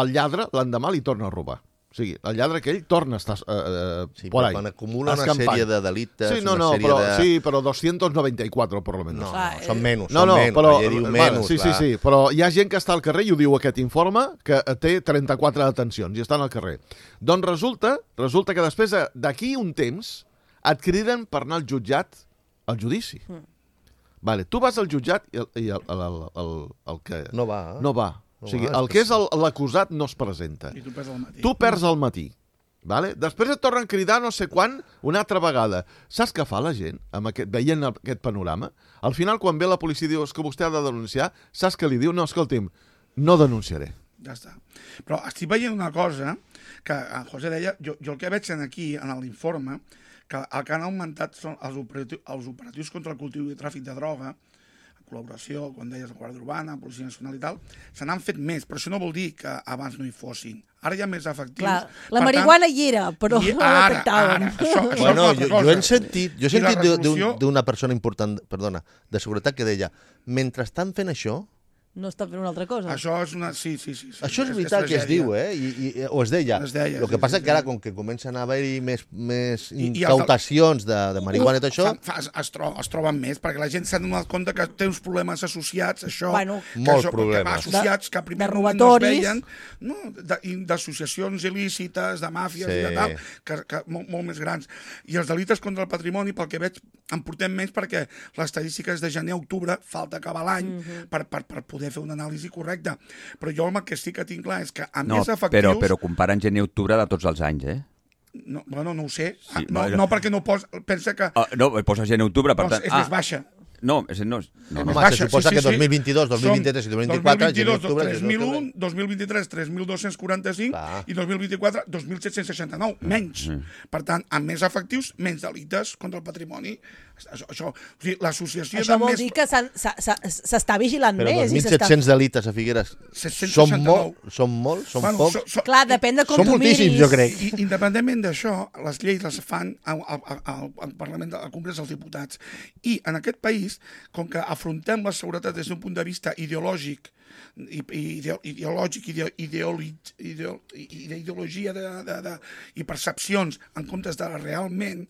el lladre l'endemà li torna a robar. O sigui, el lladre aquell torna a estar eh, sí, por ahí. Quan acumula una sèrie de delictes... Sí, no, una no, sèrie però, de... sí, però doscientos noventa y cuatro, per lo menos. No, no, són menys, no, són no, menys. Però, diu vale, menys, sí, sí, sí, però hi ha gent que està al carrer i ho diu aquest informe, que té trenta-quatre detencions i estan al carrer. Doncs resulta, resulta que després d'aquí un temps et criden per anar al jutjat al judici. Mm. Vale, tu vas al jutjat i el, i el, el, el, el, el que... No va. Eh? No va. No o sigui, va, el que és l'acusat no es presenta. I tu perds al matí. Tu perds al matí. Vale? Després et tornen a cridar no sé quan, una altra vegada. Saps què fa la gent amb aquest, veient aquest panorama? Al final, quan ve la policia i diu que vostè ha de denunciar, saps què li diu? No, escolti'm, no denunciaré. Ja està. Però estic veient una cosa que en José deia, jo, jo el que veig aquí, en l'informe, que el que han augmentat són els operatius, els operatius contra el cultiu i tràfic de droga, col·laboració, quan deies la Guàrdia Urbana, Policia Nacional i tal, se n'han fet més, però això no vol dir que abans no hi fossin. Ara hi ha més efectius. Clar, la marihuana hi era, però I no la detectaven. Ara, això, això bueno, és jo, jo he sentit, jo he sentit revolució... d'una persona important, perdona, de seguretat que deia, mentre estan fent això, no estan fent una altra cosa. Això és una... Sí, sí, sí. sí. Això és veritat és que es diu, eh? I, i, o es deia. Es deia el que sí, passa sí, que ara, sí. com que comencen a haver-hi més, més I, incautacions de, de marihuana i tot això... Fa, fa, es, tro, es troben més, perquè la gent s'ha donat compte que té uns problemes associats, això... Bueno, que molts això, problemes. Que va associats, que a primer de moment no es robatoris. veien, no, d'associacions il·lícites, de màfies sí. i de tal, que, que molt, molt més grans. I els delictes contra el patrimoni, pel que veig, en portem menys perquè les estadístiques de gener a octubre falta acabar l'any mm-hmm. per, per, per poder fer una anàlisi correcta. Però jo el que sí que tinc clar és que a no, més efectius... Però, però comparen gener i octubre de tots els anys, eh? No, bueno, no ho sé. Sí, no, no, no perquè no posa... Pensa que... Uh, no, posa gener i octubre, per doncs tant... és més baixa. No, és, no, no, no. Home, se suposa que dos mil vint-i-dos, dos mil vint-i-tres i dos mil vint-i-quatre... dos mil vint-i-dos, tres mil un, dos mil vint-i-tres, tres mil dos-cents quaranta-cinc i dos mil vint-i-quatre, dos mil set-cents seixanta-nou, menys. Mm. Per tant, amb més efectius, menys delictes contra el patrimoni. Això, això, o sigui, l'associació això de vol més... dir que s'està vigilant però més. Però dos mil set-cents delictes a Figueres són molt, són molt, són bueno, pocs? So, so, Clar, depèn de com són tu miris. Són moltíssims, jo crec. I, independentment d'això, les lleis les fan al, al, al, al Parlament, al Congrés dels Diputats. I en aquest país, com que afrontem la seguretat des d'un punt de vista ideològic, i, i, ideològic, ideo, ideologi, ideo, ideologia de, de, de, i percepcions en comptes de realment,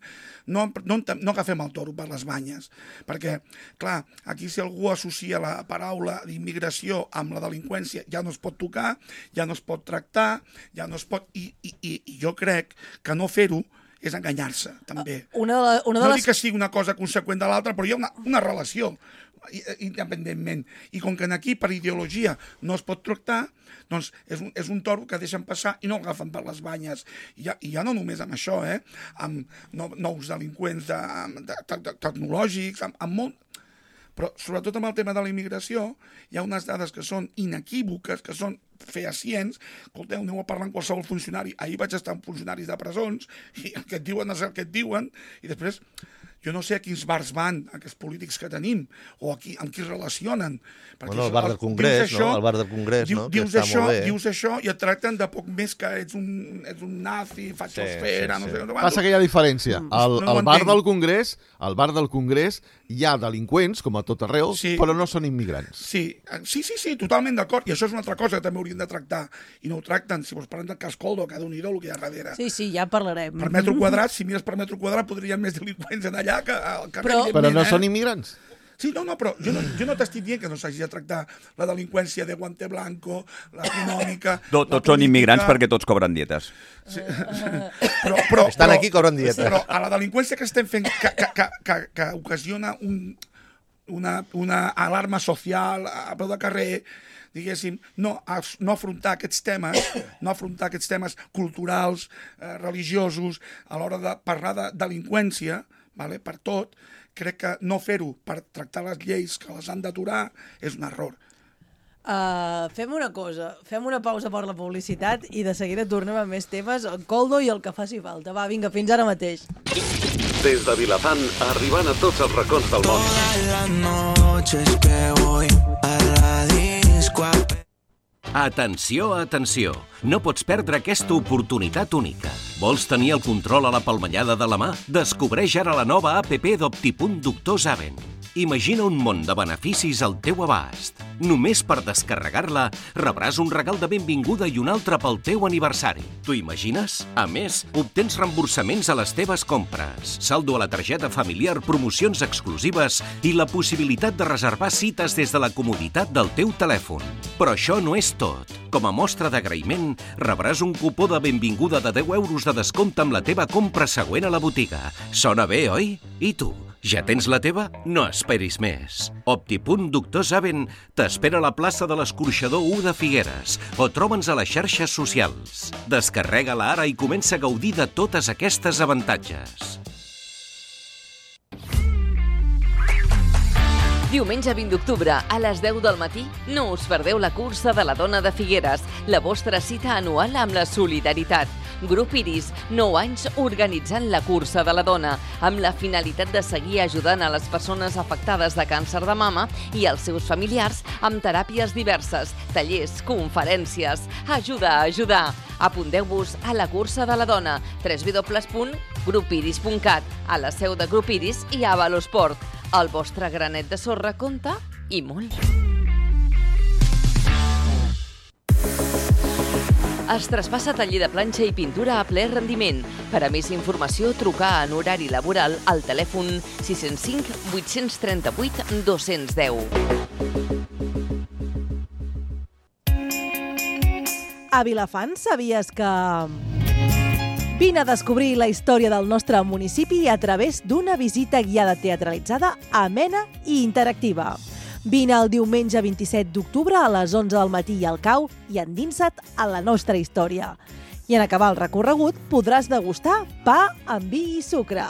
no, no, no agafem el toro per les banyes. Perquè, clar, aquí si algú associa la paraula d'immigració amb la delinqüència, ja no es pot tocar, ja no es pot tractar, ja no es pot... I, i, i jo crec que no fer-ho és enganyar-se, també. Una de la, una de no les... dic que sigui una cosa conseqüent de l'altra, però hi ha una, una relació, independentment. I com que aquí per ideologia no es pot tractar, doncs és un, és un toro que deixen passar i no agafen per les banyes. I ja, i ja no només amb això, eh? Amb no, nous delinqüents de, de, de, de, tecnològics, amb, amb molt... Però sobretot amb el tema de la immigració hi ha unes dades que són inequívoques, que són fehacients. Escolteu, aneu a parlar amb qualsevol funcionari. Ahir vaig estar amb funcionaris de presons i el que et diuen és el que et diuen i després... Jo no sé a quins bars van, aquests polítics que tenim, o a qui, amb qui es relacionen. Bueno, el bar del Congrés, això, no? El bar del Congrés, diu, no? Que dius, està això, molt bé. dius això i et tracten de poc més que ets un, ets un nazi, fatxosfera, sí, sí, sí. no sé... Passa que hi ha diferència. Al, no al bar del Congrés, al bar del Congrés hi ha delinqüents, com a tot arreu, sí. però no són immigrants. Sí, sí, sí, sí totalment d'acord. I això és una altra cosa que també haurien de tractar i no ho tracten. Si vols parlem del cas Coldo, que d'un idol que hi ha darrere. Sí, sí, ja parlarem. Per metre quadrat, si mires per metre quadrat, podrien més delinqüents en allà que al carrer. Però, però no eh? són immigrants. Sí, no, no, però jo no, jo no t'estic dient que no s'hagi de tractar la delinqüència de guante blanco, l'econòmica... Tot, tots són immigrants perquè tots cobren dietes. Sí. Però, però, Estan però, aquí, cobren dietes. Però a la delinqüència que estem fent, que, que, que, que, que ocasiona un, una, una alarma social a peu de carrer, diguéssim, no, no afrontar aquests temes, no afrontar aquests temes culturals, eh, religiosos, a l'hora de parlar de delinqüència, vale, per tot, crec que no fer-ho per tractar les lleis que les han d'aturar és un error. Uh, fem una cosa, fem una pausa per la publicitat i de seguida tornem amb més temes, el Coldo i el que faci falta. Va, vinga, fins ara mateix. Des de Vilafant, arribant a tots els racons del món. Todas las noches que voy a la disco. Atenció, atenció! No pots perdre aquesta oportunitat única. Vols tenir el control a la palmellada de la mà? Descobreix ara la nova app d'Optipunt Doctor Zaven. Imagina un món de beneficis al teu abast. Només per descarregar-la rebràs un regal de benvinguda i un altre pel teu aniversari. T'ho imagines? A més, obtens reemborsaments a les teves compres, saldo a la targeta familiar, promocions exclusives i la possibilitat de reservar cites des de la comoditat del teu telèfon. Però això no és tot. Com a mostra d'agraïment, rebràs un cupó de benvinguda de deu euros de descompte amb la teva compra següent a la botiga. Sona bé, oi? I tu? Ja tens la teva? No esperis més. Optipunt Doctor Zaven t'espera a la plaça de l'Escorxador u de Figueres o troba'ns a les xarxes socials. Descarrega-la ara i comença a gaudir de totes aquestes avantatges. Diumenge vint d'octubre, a les deu del matí, no us perdeu la cursa de la dona de Figueres, la vostra cita anual amb la solidaritat. Grup Iris, nou anys organitzant la cursa de la dona, amb la finalitat de seguir ajudant a les persones afectades de càncer de mama i als seus familiars amb teràpies diverses, tallers, conferències. Ajuda a ajudar! Apunteu-vos a la cursa de la dona, w w w punt grup iris punt cat, a la seu de Grup Iris i a Valosport. El vostre granet de sorra compta i molt. Es traspassa taller de planxa i pintura a ple rendiment. Per a més informació, trucar en horari laboral al telèfon sis zero cinc vuit tres vuit dos un zero. A Vilafant sabies que... Vine a descobrir la història del nostre municipi a través d'una visita guiada teatralitzada, amena i interactiva. Vine el diumenge vint-i-set d'octubre a les onze del matí al Cau i endinsa't a la nostra història. I en acabar el recorregut podràs degustar pa amb vi i sucre.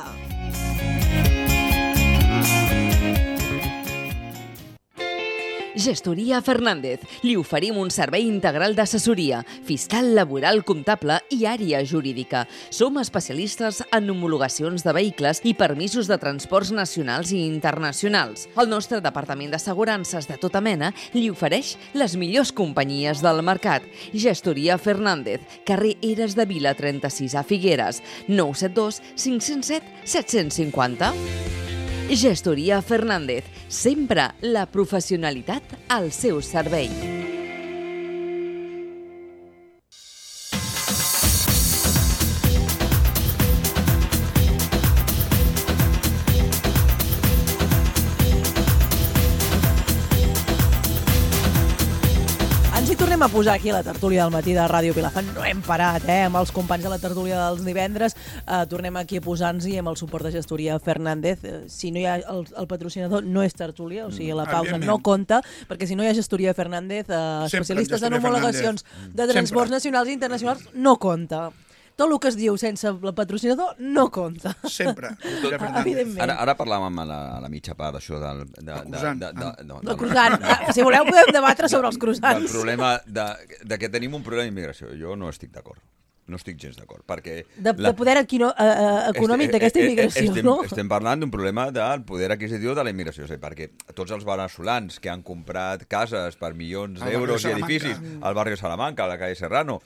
Gestoria Fernández. Li oferim un servei integral d'assessoria, fiscal, laboral, comptable i àrea jurídica. Som especialistes en homologacions de vehicles i permisos de transports nacionals i internacionals. El nostre departament d'assegurances de tota mena li ofereix les millors companyies del mercat. Gestoria Fernández, carrer Eres de Vila trenta-sis a Figueres, nou set dos cinc zero set set cinc zero. Gestoria Fernández, sempre la professionalitat al seu servei. Ens hi tornem a posar aquí a la tertúlia del matí de Ràdio Vilafant. No hem parat, eh? Amb els companys de la tertúlia dels divendres. Eh, tornem aquí a posar-nos-hi amb el suport de Gestoria Fernández. Eh, si no hi ha el, el patrocinador, no és tertúlia, o sigui, la pausa no compta, perquè si no hi ha Gestoria Fernández, eh, especialistes en homologacions de transports nacionals i internacionals, no compta. Tot el que es diu sense el patrocinador no compta. Sempre. Evidentment. Ara, ara parlàvem a la, a la mitja part d'això del... De, de, croissant. de, de, no, El croissant. Ah, si voleu podem debatre sobre els del croissants. problema de, de que tenim un problema d'immigració. Jo no estic d'acord. No estic gens d'acord, perquè... De, la... de poder equino, uh, uh, econòmic d'aquesta immigració, estem, no? Estem parlant d'un problema del poder adquisitiu de la immigració, o sigui, perquè tots els veneçolans que han comprat cases per milions d'euros i edificis al barri de Salamanca, a la calle Serrano,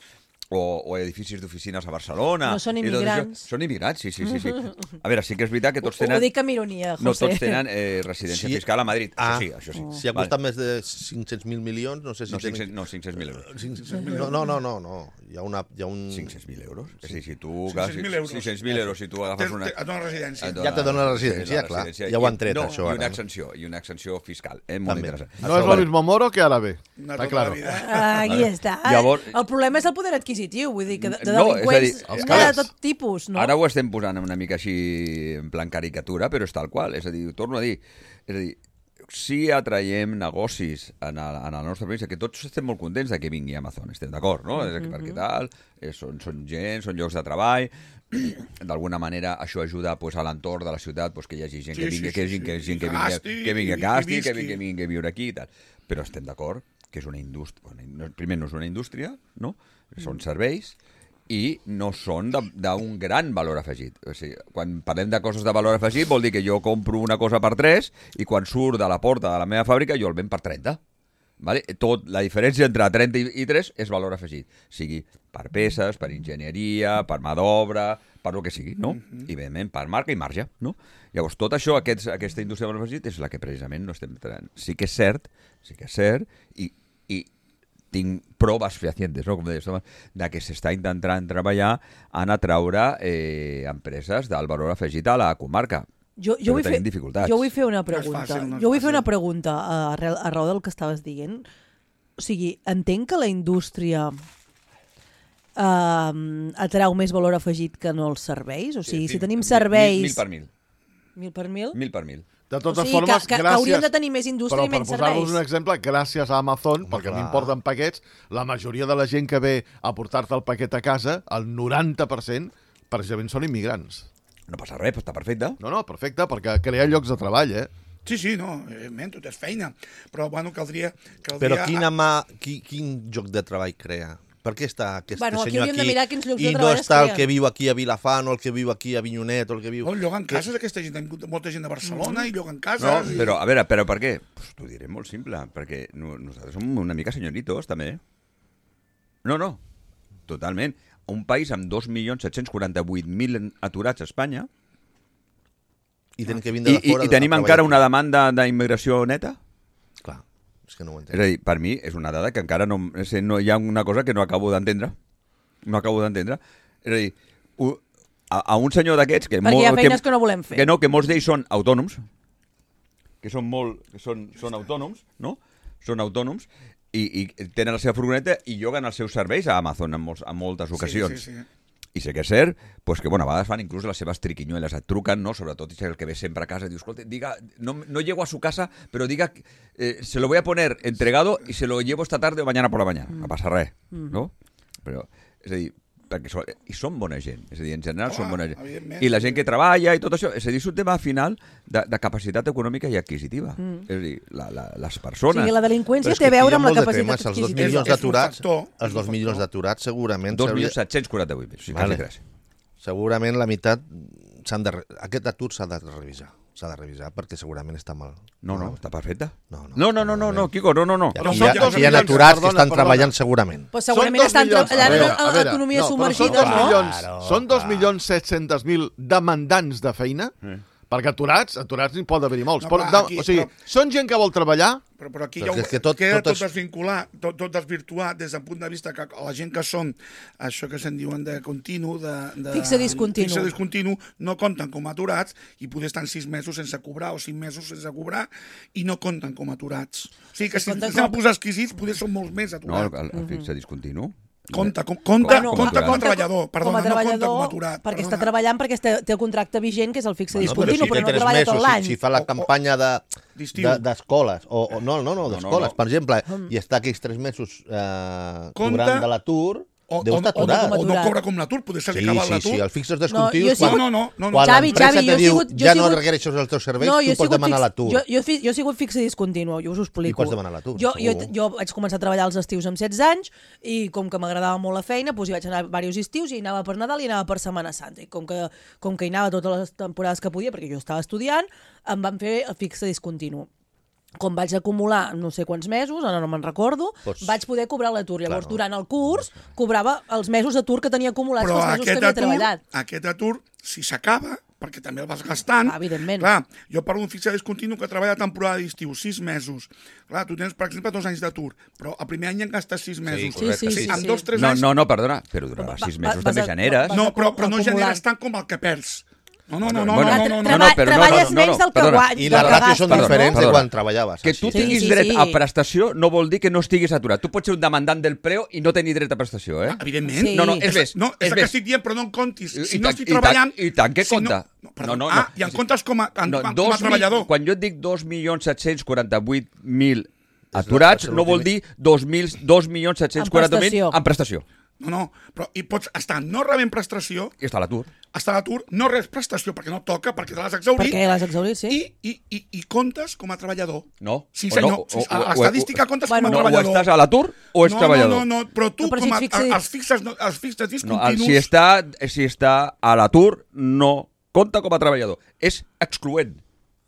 o, o edificis d'oficines a Barcelona. No són i tot això. immigrants. Són immigrants, sí, sí, sí, sí. A veure, sí que és veritat que tots Ho, ho tenen... dic amb ironia, José. No tots tenen eh, residència Sí. fiscal a Madrid. Ah. Això sí, això sí. Si ha costat més de cinc-cents mil milions, no sé si... No, tenen- cinc-cents no, cinc-cents mil euros. cinc-cents mil No, no, no, no, no. Hi ha, una, hi ha un... cinc-cents mil euros? És a dir, si tu... cinc-cents mil euros. cinc-cents mil euros, si tu agafes una... Et dona residència. Ja te dona la residència, clar. Ja ho han tret, no, això, I ara. una exenció, i una exenció fiscal. Eh? Molt També. interessant. No és lo mismo Moro que Árabe. Una Está tota claro. la vida. Ah, aquí està. Llavors- El problema és el poder adquisitiu, vull dir que de, de No, és a dir, delinqüents els n'hi ha de cares. tot tipus, no? Ara ho estem posant una mica així en plan caricatura, però és tal qual. És a dir, ho torno a dir, és a dir, si atraiem negocis en el, en el nostre país, que tots estem molt contents de que vingui Amazon, estem d'acord, no? Mm -hmm. Perquè tal, eh, són, són gent, són llocs de treball, d'alguna manera això ajuda pues, a l'entorn de la ciutat pues, que hi hagi gent Sí, que vingui, sí, que, sí, gent, que, sí. gent que, I vingui, gasti, que vingui a i- i casti, que visqui. vingui, que vingui a viure aquí i tal. Però estem d'acord que és una indústria... Bueno, primer, no és una indústria, no? Són serveis, i no són de- d'un gran valor afegit. O sigui, quan parlem de coses de valor afegit vol dir que jo compro una cosa per tres i quan surt de la porta de la meva fàbrica jo el venc per trenta. Vale? Tot, la diferència entre trenta i tres és valor afegit. Sigui per peces, per enginyeria, per mà d'obra, per el que sigui, no? I, evidentment, per marca i marge, no? Llavors, tot això, aquests, aquesta indústria de valor afegit, és la que precisament no estem traient. Sí que és cert, sí que és cert, i, i tinc proves fehacientes, no? Com deies, de que s'està intentant treballar en atraure eh, empreses del valor afegit a la comarca. Jo, Però jo, vull fer, tenim dificultats. jo vull fer una No és pregunta. fàcil, no és jo vull fer fàcil. una pregunta uh, arrel, arreu del que estaves dient. O sigui, entenc que la indústria uh, atrau més valor afegit que no els serveis? O sigui, Sí, si sí, tenim mil- serveis... Mil, mil per mil. Mil per mil? Mil per mil. De totes O sigui, formes, que- que gràcies... hauríem de tenir més indústria però i menys per posar-vos serveis. un exemple, gràcies a Amazon, Home, perquè a mi clar. em porten paquets, la majoria de la gent que ve a portar-te el paquet a casa, el noranta per cent, precisament són immigrants. No passa res, està perfecte. No, no, perfecte, perquè crea llocs de treball, eh? Sí, sí, no, evidentment, tot és feina. Però, bueno, caldria... caldria Però quina mà, qui, quin lloc de treball crea? Per què està aquest Bueno, aquí senyor hauríem aquí de mirar quins llocs i de no treball es està el creen. que viu aquí a Vilafant o el que viu aquí a Vinyonet o el que viu... No, lloguen que- cases, aquesta gent, hi ha molta gent de Barcelona i lloguen cases. No, i... però, a veure, però per què? Pues t'ho diré molt simple, perquè no, nosaltres som una mica senyoritos, també. No, no, totalment. Un país amb dos milions set-cents quaranta-vuit mil aturats a Espanya I tenen que vindre i, de i, fora... i a tenim treballar encara aquí. una demanda d'immigració neta? Clar, és que no ho És entenc. a dir, per mi és una dada que encara no... És a dir, no hi ha una cosa que no acabo d'entendre. No acabo d'entendre. És a dir, u- a, a un senyor d'aquests... Que Perquè hi ha feines que no volem fer. Que no, que molts d'ells són autònoms, que són molt... que són, són autònoms, no? Són autònoms i, i tenen la seva furgoneta i lloguen els seus serveis a Amazon en, molts, en moltes ocasions. Sí, sí, sí. I sé que és cert, pues que bueno, a vegades fan inclús les seves triquiñuelas, et truquen, no? Sobretot si el que ve sempre a casa, diu, escolta, diga, no, no llego a su casa, pero diga, eh, se lo voy a poner entregado y se lo llevo esta tarde o mañana por la mañana. No passa res, no? Però, és a dir, perquè són, i són bona gent, és a dir, en general Home, són bona gent. evidentment. I la gent que treballa i tot això, és a dir, és un tema final de, de capacitat econòmica i adquisitiva. Mm. És a dir, la, la, les O persones... sigui, la Però delinqüència és té que a veure aquí hi ha amb la molt de capacitat temes, els dos adquisitiva. milions És un d'aturats, factor, és els un dos milions factor. d'aturats segurament... dos s'hauria- milions set-cents quaranta-vuit mil, sí, Vale. quasi tres. Segurament la meitat s'han de... re- Aquest atur s'ha de revisar. S'ha de revisar perquè segurament està mal. No, no, està perfecte. No, no, No, no, no, no, no, Quico, no, no, no. Aquí Però hi són ha, dos aquí hi ha milions, aturats que perdona, estan perdona. treballant segurament. Però segurament Són dos estan milions- treballant a veure, en a veure, l'economia no, però submergida, són dos no? milions, Claro, són dos clar. milions set-cents mil demandants de feina, perquè aturats, aturats n'hi pot haver-hi molts. No, però, clar, de, aquí- o sigui, però- són gent que vol treballar, Però, però aquí Però ja ho, és que tot- queda tot tot, es- desvinculat, tot, tot desvirtuat des del punt de vista que la gent que són això que se'n diuen de continu, de, de Fixe discontinu. fixe discontinu, no compten com a aturats i poder estar sis mesos sense cobrar o cinc mesos sense cobrar i no compten com a aturats. O sigui que Sí, si compten estem a com- posar exquisits, poder són molts més No, aturats. el, el fixe discontinu. Compta, com, compta, Bueno, compta com a compta treballador, perdona, com a no compta treballador, com a aturat. perquè perdona. està treballant perquè té, té el contracte vigent, que és el fixe No, discontinu, si però, té no tres treballa tot mesos, l'any. Si, si fa la O- o- campanya de d'estiu. de- d'escoles, o, o no, no, no, d'escoles, no. per exemple, i està aquells tres mesos eh, Compta- cobrant de l'atur, O, deu o, estar o, no, aturat. o no aturat. cobra com l'atur, poder se li Sí, acaba sí, l'atur. sí, el fixos No, descontinuts, jo he quan, sigut- No, no, no, no. quan Xavi, l'empresa Xavi, jo te he diu sigut- jo he ja no sigut- requereixes els teus serveis, No, jo he tu pots sigut demanar fix- l'atur. Jo, jo, fi- jo he sigut fixe discontinu, jo us ho explico. I pots demanar l'atur, Jo, jo, segur. jo vaig començar a treballar als estius amb setze anys i com que m'agradava molt la feina, doncs hi vaig anar diversos estius i hi anava per Nadal i anava per Setmana Santa. I com que, com que hi anava totes les temporades que podia, perquè jo estava estudiant, em van fer el fixe discontinu. com vaig acumular no sé quants mesos, ara no me'n recordo, Pots... vaig poder cobrar l'atur. Llavors, Claro. durant el curs, cobrava els mesos d'atur que tenia acumulats Però pels mesos que aquest havia atur, treballat. aquest atur, si s'acaba, perquè també el vas gastant... Ah, evidentment. Clar, jo parlo d'un fixat discontinu que treballa a temporada d'estiu, sis mesos. Clar, tu tens, per exemple, dos anys d'atur, però el primer any en gastes sis mesos. correcte, Sí, sí, sí, En sí. dos, tres No, anys... no, no, perdona, però durant Va- sis va- mesos vas també a- generes. vas No, però, però no acumulant. generes tant com el que perds. No, no, no, no, Bueno, no, no, no, no, no, no. però no, treballes no, no, menys del que perdona. guanyes. I del les que ràtios són gastes, diferents no? de Perdona. quan treballaves. Que així. tu Sí, tinguis sí, dret sí. a prestació no vol dir que no estiguis aturat. Tu pots ser un demandant del preu i no tenir dret a prestació, eh? Evidentment. Sí. No, no, és més. No, és és el que més. estic dient, però no en comptis. I- Si i no tant- estic i tant- treballant... i tant que si compta. No, no, perdó. No, no, ah, no. i en comptes com a, en, No, com dos a treballador. mil, quan jo et dic dos milions set-cents quaranta-vuit mil aturats, és la- no vol dir dos milions set-cents quaranta mil prestació. en prestació. No, no, però hi pots estar no rebent prestació, I està a l'atur. estar a l'atur, no res prestació perquè no toca, perquè te l'has exhaurit, Perquè l'has exhaurit, sí. i, i, i, i comptes com a treballador. No. Sí, O senyor. no, o- Sí, o- a o- l'estadística o- comptes Bueno, com a No, o treballador. estàs a l'atur o ets no, treballador. No, no, no, però tu, No, però com si a, et fixis- els fixes, no, els fixes No, el, discontinus... si, està, si està a l'atur, no compta com a treballador. És excloent.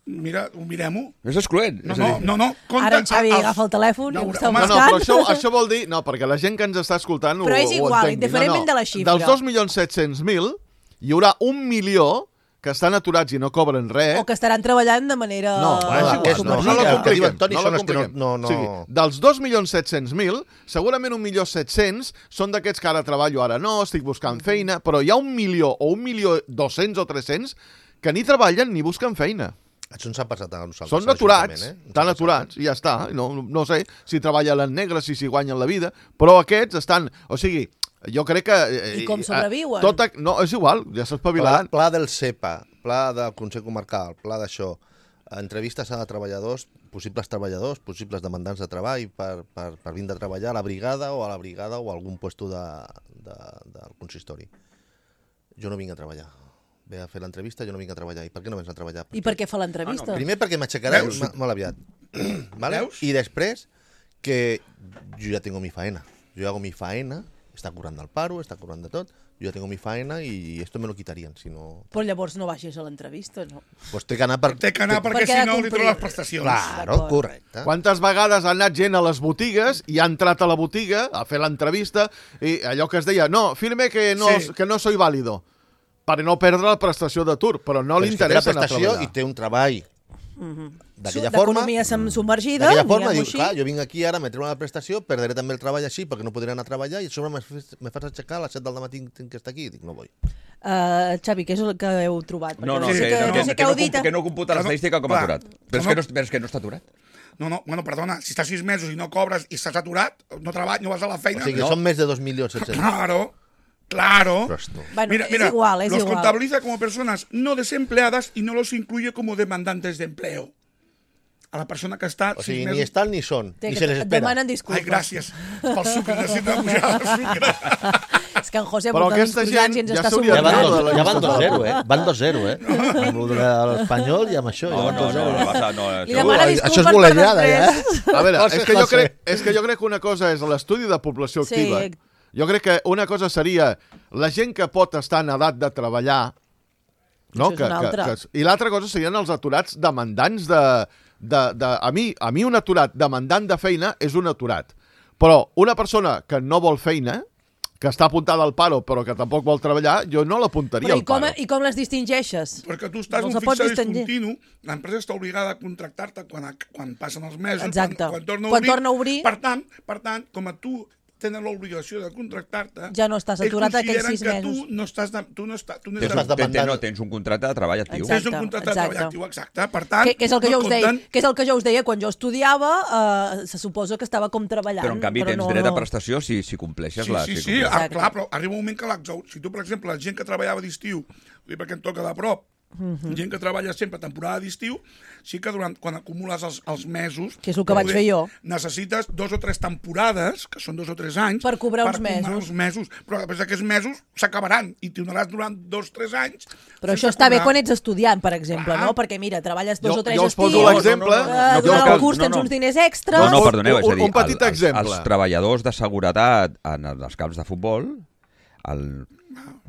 Mira, ho mirem-ho. És excloent. No, és a no, dir, no, no. Compte, Ara en Xavi els- agafa el telèfon i No, ho està home, No, no, buscant. però això, això vol dir... No, perquè la gent que ens està escoltant Però ho, és ho igual, entengui. indiferentment de la xifra. Dels dos milions set-cents mil, hi haurà un milió que estan aturats i no cobren res. O que estaran treballant de manera... No, Bueno, és igual, aquests no, no, no, no, la el que compliquem, diuen Toni no són la els que no- compliquem. no- no- O sigui, dels dos milions set-cents mil, segurament un milió set-cents són d'aquests que ara treballo, ara no, estic buscant feina, però hi ha un milió o un milió dos-cents o tres-cents que ni treballen ni busquen feina. Això ens ha passat a nosaltres. Són a aturats, l'Ajuntament, eh? Ens estan ha aturats, i ja està. No, no sé si treballen en negre, si s'hi guanyen la vida, però aquests estan... O sigui, jo crec que... eh, I com eh, sobreviuen? Tot, ac- no, és igual, ja s'ha Pla, espavilat. pla del SEPA, pla del Consell Comarcal, pla d'això, entrevistes a treballadors, possibles treballadors, possibles demandants de treball per, per, per vindre a treballar a la brigada o a la brigada o a algun puesto de, de, del consistori. Jo no vinc a treballar. Ve a fer l'entrevista, jo no vinc a treballar. I per què no vens a treballar? I per què fa l'entrevista? Primer perquè m'aixecaré Veus? ma- molt aviat. ¿Vale? Veus? I després que yo ya tengo mi faena. Yo hago mi faena, está curando al paro, está curando de tot, yo ya tengo mi faena y esto me lo quitarían, si no... Però llavors no baixis a l'entrevista, no? Pues té que anar per... Té que anar perquè Perquè ha si de no li complir. treu les prestacions. Claro, D'acord. correcte. Quantes vegades ha anat gent a les botigues i ha entrat a la botiga a fer l'entrevista i allò que es deia, no, firme que no, Sí. que no soy válido, per no perdre la prestació d'atur, però no Però li és que té la interessa anar a prestació treballar. i té un treball d'aquella Su- forma. D'economia sem- submergida, D'aquella forma, diguem-ho diu, així. clar, jo vinc aquí ara, me treu una prestació, perdré també el treball així perquè no podré anar a treballar i a sobre me, fes- me fas aixecar a les set del matí tinc que estar aquí. Dic, no vull. Uh, Xavi, què és el que heu trobat? No, no, Perquè que, sé que, no, no que, sé que, què no, heu dit. comp- que no computa l'estadística com a Clar. aturat. Però és, No, que no, però és que no està aturat. No, no, bueno, perdona, si estàs sis mesos i no cobres i estàs aturat, no treballes, no vas a la O feina... sigui, no. són més de dos milions set-cents. Claro, claro. Ostres, tu. Bueno, mira, és mira, igual, és los igual. contabiliza como personas no desempleadas y no los incluye como demandantes de empleo. A la persona que està O sis sigui, mesos... ni estan ni són, Té ni que se les et espera. demanen disculpes. Ai, gràcies pel sucre, necessito pujar el sucre. És que en José Però porta uns aquesta croissants gent i ens ja està s'hauria Ja van Claro, subordinant. dos- de la ja van dos llista. zero, eh? Van dos zero, eh? Amb lo de l'Espanyol i amb això. ja No, van no, dos no, zero. no, no, no, Li això- demana Això disculpes és per golejada, ja, després. eh? A veure, Coses és que, jo classe. crec, és que jo crec que una cosa és l'estudi de població Sí. activa. Jo crec que una cosa seria la gent que pot estar en edat de treballar, no? Això és que, una que, altra. que, I l'altra cosa serien els aturats demandants de... de, de a, mi, a mi un aturat demandant de feina és un aturat. Però una persona que no vol feina, que està apuntada al paro però que tampoc vol treballar, jo no l'apuntaria Però al i com, paro. i com les distingeixes? Perquè tu estàs No en se un pot fixat distingir. discontinu, l'empresa està obligada a contractar-te quan, quan passen els mesos, Exacte. quan, quan, torna a Quan obrir. torna a obrir. Per tant, per tant, com a tu tenen l'obligació de contractar-te... Ja no estàs ells aturat aquells consideren sis que mesos. Tu no estàs... De, tu no estàs, tu no Tens, estàs, estàs ten- ten- demandant. no, tens un contracte de treball actiu. Exacte. tens un contracte de exacte. treball actiu, exacte. Per tant, Que, que, és el que, no jo us deia, compten- que és el que jo us deia quan jo estudiava, eh, se suposa que estava com treballant. Però en canvi tens no, dret a no. prestació si, si compleixes Sí, la... sí, si sí, compleixes. ah, Exacte. clar, però arriba un moment que l'exhaur... Si tu, per exemple, la gent que treballava d'estiu, vull dir, perquè em toca de prop, Mhm. gent que treballa sempre a temporada d'estiu, sí que durant, quan acumules els, els mesos... Que és el que vaig poder- fer jo. Necessites dos o tres temporades, que són dos o tres anys... Per cobrar uns cobrar mesos. uns mesos. Però després aquests mesos s'acabaran i t'hi donaràs durant dos o tres anys... Però sense això està bé cobrar. quan ets estudiant, per exemple, Clar. no? Perquè, mira, treballes dos Jo- o tres jo us estius, poso l'exemple. eh, No, no, no, durant no, el curs no, tens no. uns diners extres... No, no, Un- perdoneu, és a un- dir, un petit el- exemple. Els, els treballadors de seguretat en els camps de futbol, el,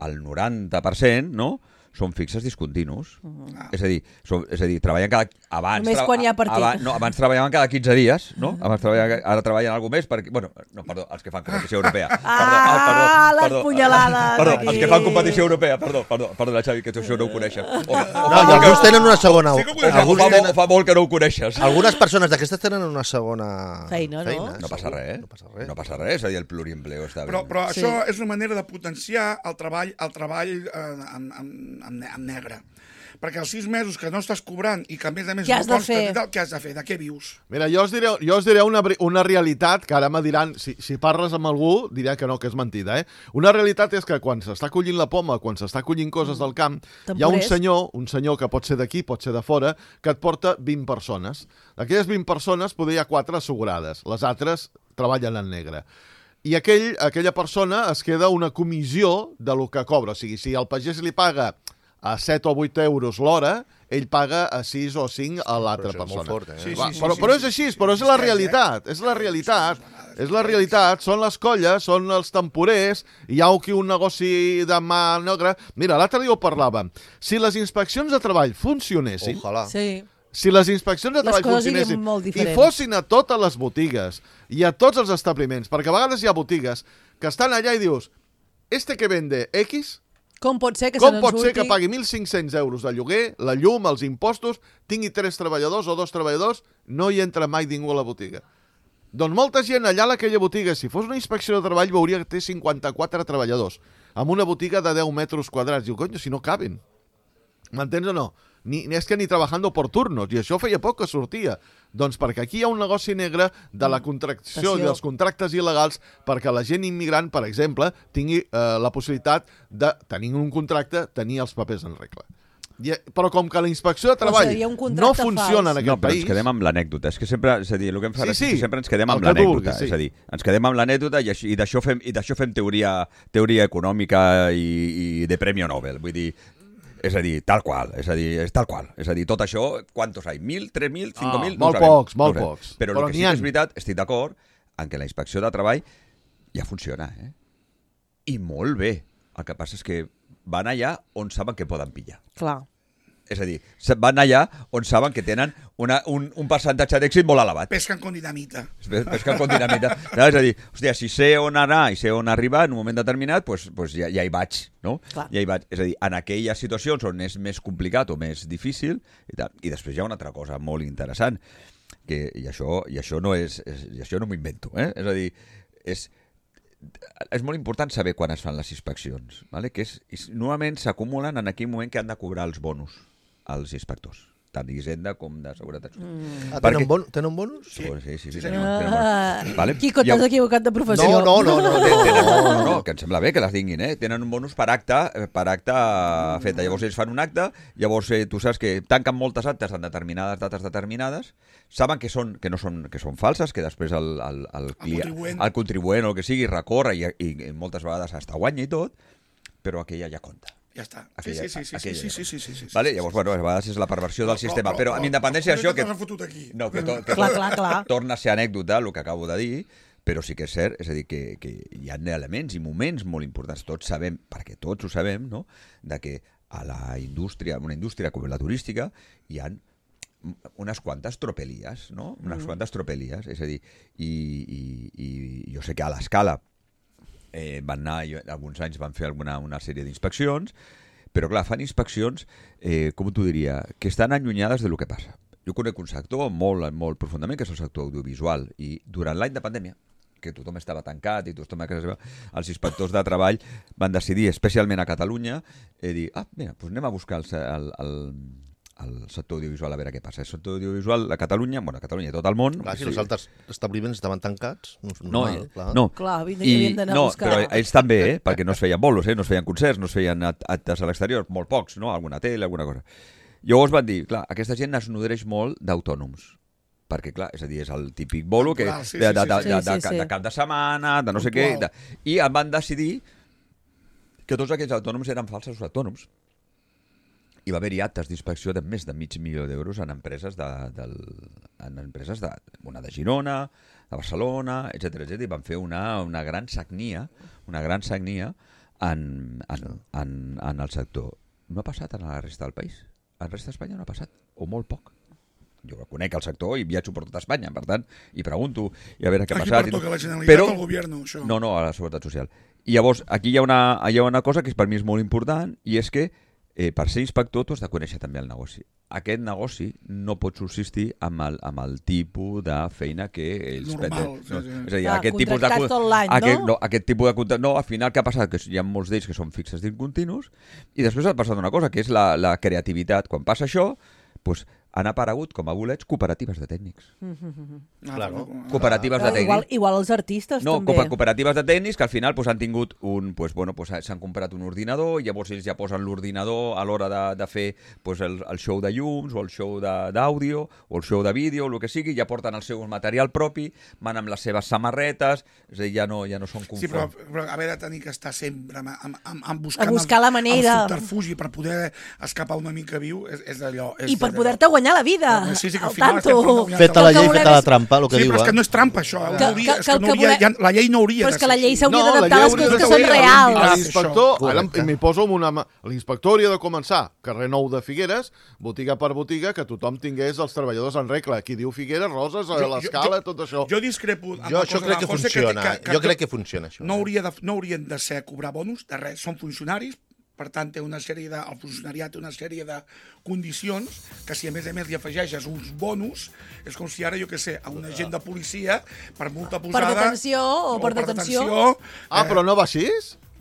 el noranta per cent, no?, són fixes discontinus. Uh-huh. És a dir, són, és a dir, treballen cada... Abans, Només quan hi ha partit. Abans, no, abans treballaven cada quinze dies, no? Abans treballaven, ara treballen alguna més perquè... Bueno, no, perdó, els que fan competició europea. Ah, perdó, ah, perdó, les perdó, punyalades Perdó, aquí. els que fan competició europea, perdó, perdó, perdó, Xavi, que tu això no ho coneixes. O, o, No, i alguns tenen una segona... Sí que ho o, alguns fa, tenen, molt, fa molt que no ho coneixes. algunes persones d'aquestes tenen una segona... Feina, no? No passa res, No passa res. no passa res, és a dir, el pluriempleo està Però, bé. però Sí. això és una manera de potenciar el treball, el treball eh, en, en, en, en negre. Perquè els sis mesos que no estàs cobrant i que a més a més Què no has de costes fer? i tal, què has de fer? De què vius? Mira, jo us diré, jo us diré una, bri- una realitat que ara me diran, si, si parles amb algú, diré que no, que és mentida, eh? Una realitat és que quan s'està collint la poma, quan s'està collint coses del camp, hi ha un Temporers. senyor, un senyor que pot ser d'aquí, pot ser de fora, que et porta vint persones. D'aquelles vint persones, poder hi ha quatre assegurades, les altres treballen en negre. I aquell, aquella persona es queda una comissió de lo que cobra. O sigui, si el pagès li paga a set o vuit euros l'hora, ell paga a sis o cinc a l'altra Però això és molt persona. fort, eh? Sí, Va, sí, sí, però, sí, però sí. és així, però és la realitat, és la realitat, és la realitat, són les colles, són els temporers, hi ha aquí un negoci de mà negra. Mira, l'altre dia ho parlàvem, si les inspeccions de treball funcionessin, Ojalà. Sí. si les inspeccions de Les treball coses funcionessin siguin molt i diferents. fossin a totes les botigues i a tots els establiments, perquè a vegades hi ha botigues que estan allà i dius, este que vende X, Com pot ser que com se pot n'en ser que surti? pagui mil cinc-cents euros de lloguer, la llum, els impostos, tingui tres treballadors o dos treballadors, no hi entra mai ningú a la botiga? Doncs molta gent allà a aquella botiga, si fos una inspecció de treball, veuria que té cinquanta-quatre treballadors, amb una botiga de deu metres quadrats. Diu, coño, si no caben. M'entens o no? Ni, ni és que ni trabajando por turnos, i això feia poc que sortia. Doncs perquè aquí hi ha un negoci negre de la contractació i Passió. dels contractes il·legals perquè la gent immigrant, per exemple, tingui eh, la possibilitat de, tenir un contracte, tenir els papers en regla. I, però com que la inspecció de treball seria un no contracte funciona fals. en aquest No, però país... ens quedem amb l'anècdota. És que sempre, és a dir, el que em fa Sí, és sí, que sempre ens quedem el amb que tu l'anècdota. vulguis, sí. És a dir, ens quedem amb l'anècdota i, així- i d'això fem, i d'això fem teoria, teoria econòmica i, i de Premi Nobel. Vull dir, és a dir, tal qual, és a dir, és tal qual. És a dir, tot això, quantos hi ha? Mil, tres mil, cinco mil? Ah, molt pocs, molt pocs. Però, Però el que n'hi sí que ha. és veritat, estic d'acord en que la inspecció de treball ja funciona, eh? I molt bé. El que passa és que van allà on saben que poden pillar. Clar. És a dir, se- van allà on saben que tenen una, un, un percentatge d'èxit molt elevat. Pesquen con dinamita. Pes- Pesquen con dinamita. No, és a dir, hòstia, si sé on anar i sé on arribar en un moment determinat, pues, pues ja, ja hi vaig, no? Clar. Ja hi vaig. És a dir, en aquelles situacions on és més complicat o més difícil, i, tal. I després hi ha una altra cosa molt interessant, que, i, això, i això no és, és i això no m'ho invento, eh? És a dir, és, és molt important saber quan es fan les inspeccions, ¿vale? Que és, és, normalment s'acumulen en aquell moment que han de cobrar els bonus als inspectors, tant d'Hisenda com de Seguretat Social. Mm. Ah, Perquè- tenen, bon, tenen bonus? Sí, sí, sí, sí, Sí, senyor. senyor. Tenen bonus. Ah, Vale? Quico, I t'has llavors- equivocat de professió. No, no, no, no, no, Tenen, no. no, no, que em sembla bé que les tinguin, eh? Tenen un bonus per acte, eh, per acte feta. Llavors ells fan un acte, llavors eh, tu saps que tanquen moltes actes en determinades dates determinades, saben que són que no són que són falses, que després el, el, el, client, contribuent. el contribuent o el que sigui recorre i, i, i moltes vegades hasta guanya i tot, però aquella ja compta. Ja està. Sí, Aquella- sí, sí, sí, sí, aquella sí, ja sí, sí, sí, sí, Vale? sí, Llavors, sí, bueno, a vegades és la perversió del Però- sistema, però- però amb però- independència però d'això... que Que, t'has fotut aquí. no, que, to, que Clar, clar, clar. torna a ser anècdota, el que acabo de dir, però sí que és cert, és a dir, que, que hi ha elements i moments molt importants, tots sabem, perquè tots ho sabem, no?, de que a la indústria, una indústria com la turística, hi ha unes quantes tropelies, no?, unes mm. quantes tropelies, és a dir, i, i, i jo sé que a l'escala eh, van anar, jo, alguns anys van fer alguna una sèrie d'inspeccions, però clar, fan inspeccions, eh, com t'ho diria, que estan allunyades de lo que passa. Jo conec un sector molt, molt profundament, que és el sector audiovisual, i durant l'any de pandèmia, que tothom estava tancat i tothom a casa seva, els inspectors de treball van decidir, especialment a Catalunya, eh, dir, ah, mira, doncs anem a buscar el, el, el, el sector audiovisual a veure què passa. El sector audiovisual a Catalunya, bueno, a Catalunya i tot el món... Clar, si o els sigui, altres establiments estaven tancats, no, no, normal, eh, clar. no. Clar, havien I, havien d'anar a no, buscar. però ells també, eh? Perquè no es feien bolos, eh? No es feien concerts, no es feien act- actes a l'exterior, molt pocs, no? Alguna tele, alguna cosa. Llavors van dir, clar, aquesta gent es nodreix molt d'autònoms, perquè, clar, és a dir, és el típic bolo que, Clar, sí, de, sí, de, sí, de, sí. de, Sí, de, sí, sí. de cap de setmana, de no sé què, Puntual. de, i em van decidir que tots aquests autònoms eren falsos autònoms. I va haver-hi actes d'inspecció de més de mig milió d'euros en empreses de, del, en empreses de, una de Girona, de Barcelona, etcètera, etcètera, i van fer una, una gran sagnia, una gran sagnia en, en, en, en el sector. no ha passat a la resta del país. A la resta d'Espanya no ha passat, o molt poc. Jo conec el sector i viatjo per tota Espanya, per tant, i pregunto, i a veure què ha passat. Aquí pertoca la Generalitat Però... o el Govern, això? No, no, a la Seguretat Social. I llavors, aquí hi ha una, hi ha una cosa que per mi és molt important, i és que eh, per ser inspector tu has de conèixer també el negoci. Aquest negoci no pot subsistir amb el, amb el tipus de feina que ells... Normal. No, Sí, sí. és a dir, Ah, aquest tipus de... contractats tot l'any, aquest, no? no? Aquest tipus de contracte... No, al final què ha passat? Que hi ha molts d'ells que són fixes discontinus, i després ha passat una cosa, que és la, la creativitat. Quan passa això, doncs, han aparegut com a bolets cooperatives de tècnics. Claro. Cooperatives de Ah, tècnics. igual, igual els artistes No, també. cooper- cooperatives de tècnics que al final pues, han tingut un... Pues, bueno, pues, s'han comprat un ordinador i llavors ells ja posen l'ordinador a l'hora de, de fer pues, el, el show de llums o el show d'àudio o el show de vídeo, el que sigui, ja porten el seu material propi, van amb les seves samarretes, és a dir, ja no, ja no són conforms. Sí, però, però haver de tenir que estar sempre amb, amb, amb, amb buscant A buscar la manera. el subterfugi per poder escapar una mica viu és, és allò. És I per allò. poder-te guanyar la vida. Sí, sí, que al al final tanto. estem parlant- Feta la El que llei, volem feta la és- trampa, el que Sí, diu. però és que eh? no és trampa, això. Que- Que, hauria, que- és que que el no que hauria, volem- ja, la llei no hauria Però de és que la ser llei així. s'hauria No, d'adaptar la a les llei coses que hauria són de- reals. L'inspector, Això. ara Correcte. m'hi poso amb una mà. L'inspector hauria de començar, carrer Nou de Figueres, botiga per botiga, que tothom tingués els treballadors en regla. Aquí diu Figueres, Roses, a Jo- l'escala, jo- tot això. Jo discrepo amb Jo la això cosa crec de que José, funciona. Jo crec que funciona, això. No, hauria de, no haurien de ser cobrar bonus, de res, són funcionaris, per tant, té una sèrie de, el funcionariat té una sèrie de condicions que si a més a més li afegeixes uns bonus, és com si ara, jo què sé, a un agent de policia, per multa posada... detenció o per detenció. Ah, eh, però no va així?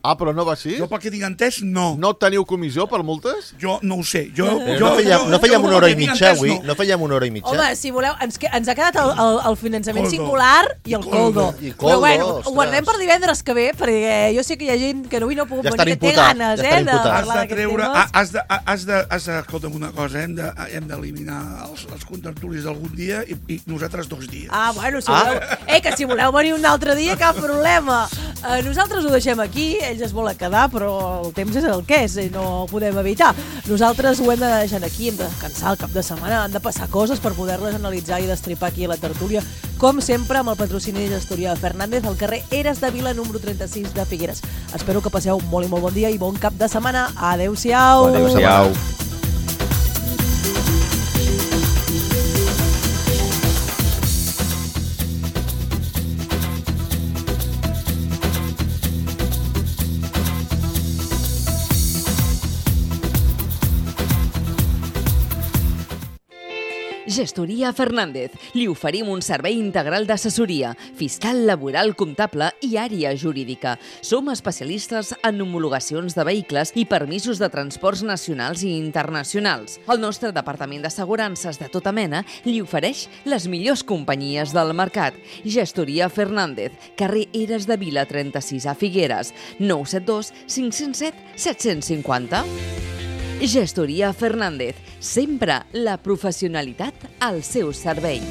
Ah, però no va així? Jo, pel que tinc entès, no. No teniu comissió per multes? Jo no ho sé. Jo, Però jo, no fèiem, jo, no fèiem jo, una hora i pel que tinc mitja entès, avui? no. No fèiem una hora i mitja? Home, si voleu, ens, que, ens ha quedat el, el, el finançament Coldo. singular i el coldo. I Però coldo, bueno, ho ostres. guardem per divendres que ve, perquè jo sé que hi ha gent que avui no ha pogut Ja estan venir, que té imputats, ganes, ja eh, estan de imputats. Has parlar de d'aquests treure... temes. Has de, has de, has de, escolta'm una cosa, hem de- hem d'eliminar els, els contertulis d'algun dia i, i nosaltres dos dies. Ah, bueno, si voleu... Eh, que si voleu venir un altre dia, cap problema. Eh, nosaltres ho deixem aquí, ells es volen quedar, però el temps és el que és i no ho podem evitar. Nosaltres ho hem de deixar aquí, hem de descansar el cap de setmana, han de passar coses per poder-les analitzar i destripar aquí a la tertúlia, com sempre amb el patrocini de Gestoria Fernández al carrer Eres de Vila número trenta-sis de Figueres. Espero que passeu un molt i molt bon dia i bon cap de setmana. Adéu-siau. Adéu-siau. Gestoria Fernández. Li oferim un servei integral d'assessoria, fiscal, laboral, comptable i àrea jurídica. Som especialistes en homologacions de vehicles i permisos de transports nacionals i internacionals. El nostre departament d'assegurances de tota mena li ofereix les millors companyies del mercat. Gestoria Fernández, carrer Eres de Vila trenta-sis a Figueres, nou set dos cinc zero set set cinc zero. Gestoria Fernández, sempre la professionalitat al seu servei.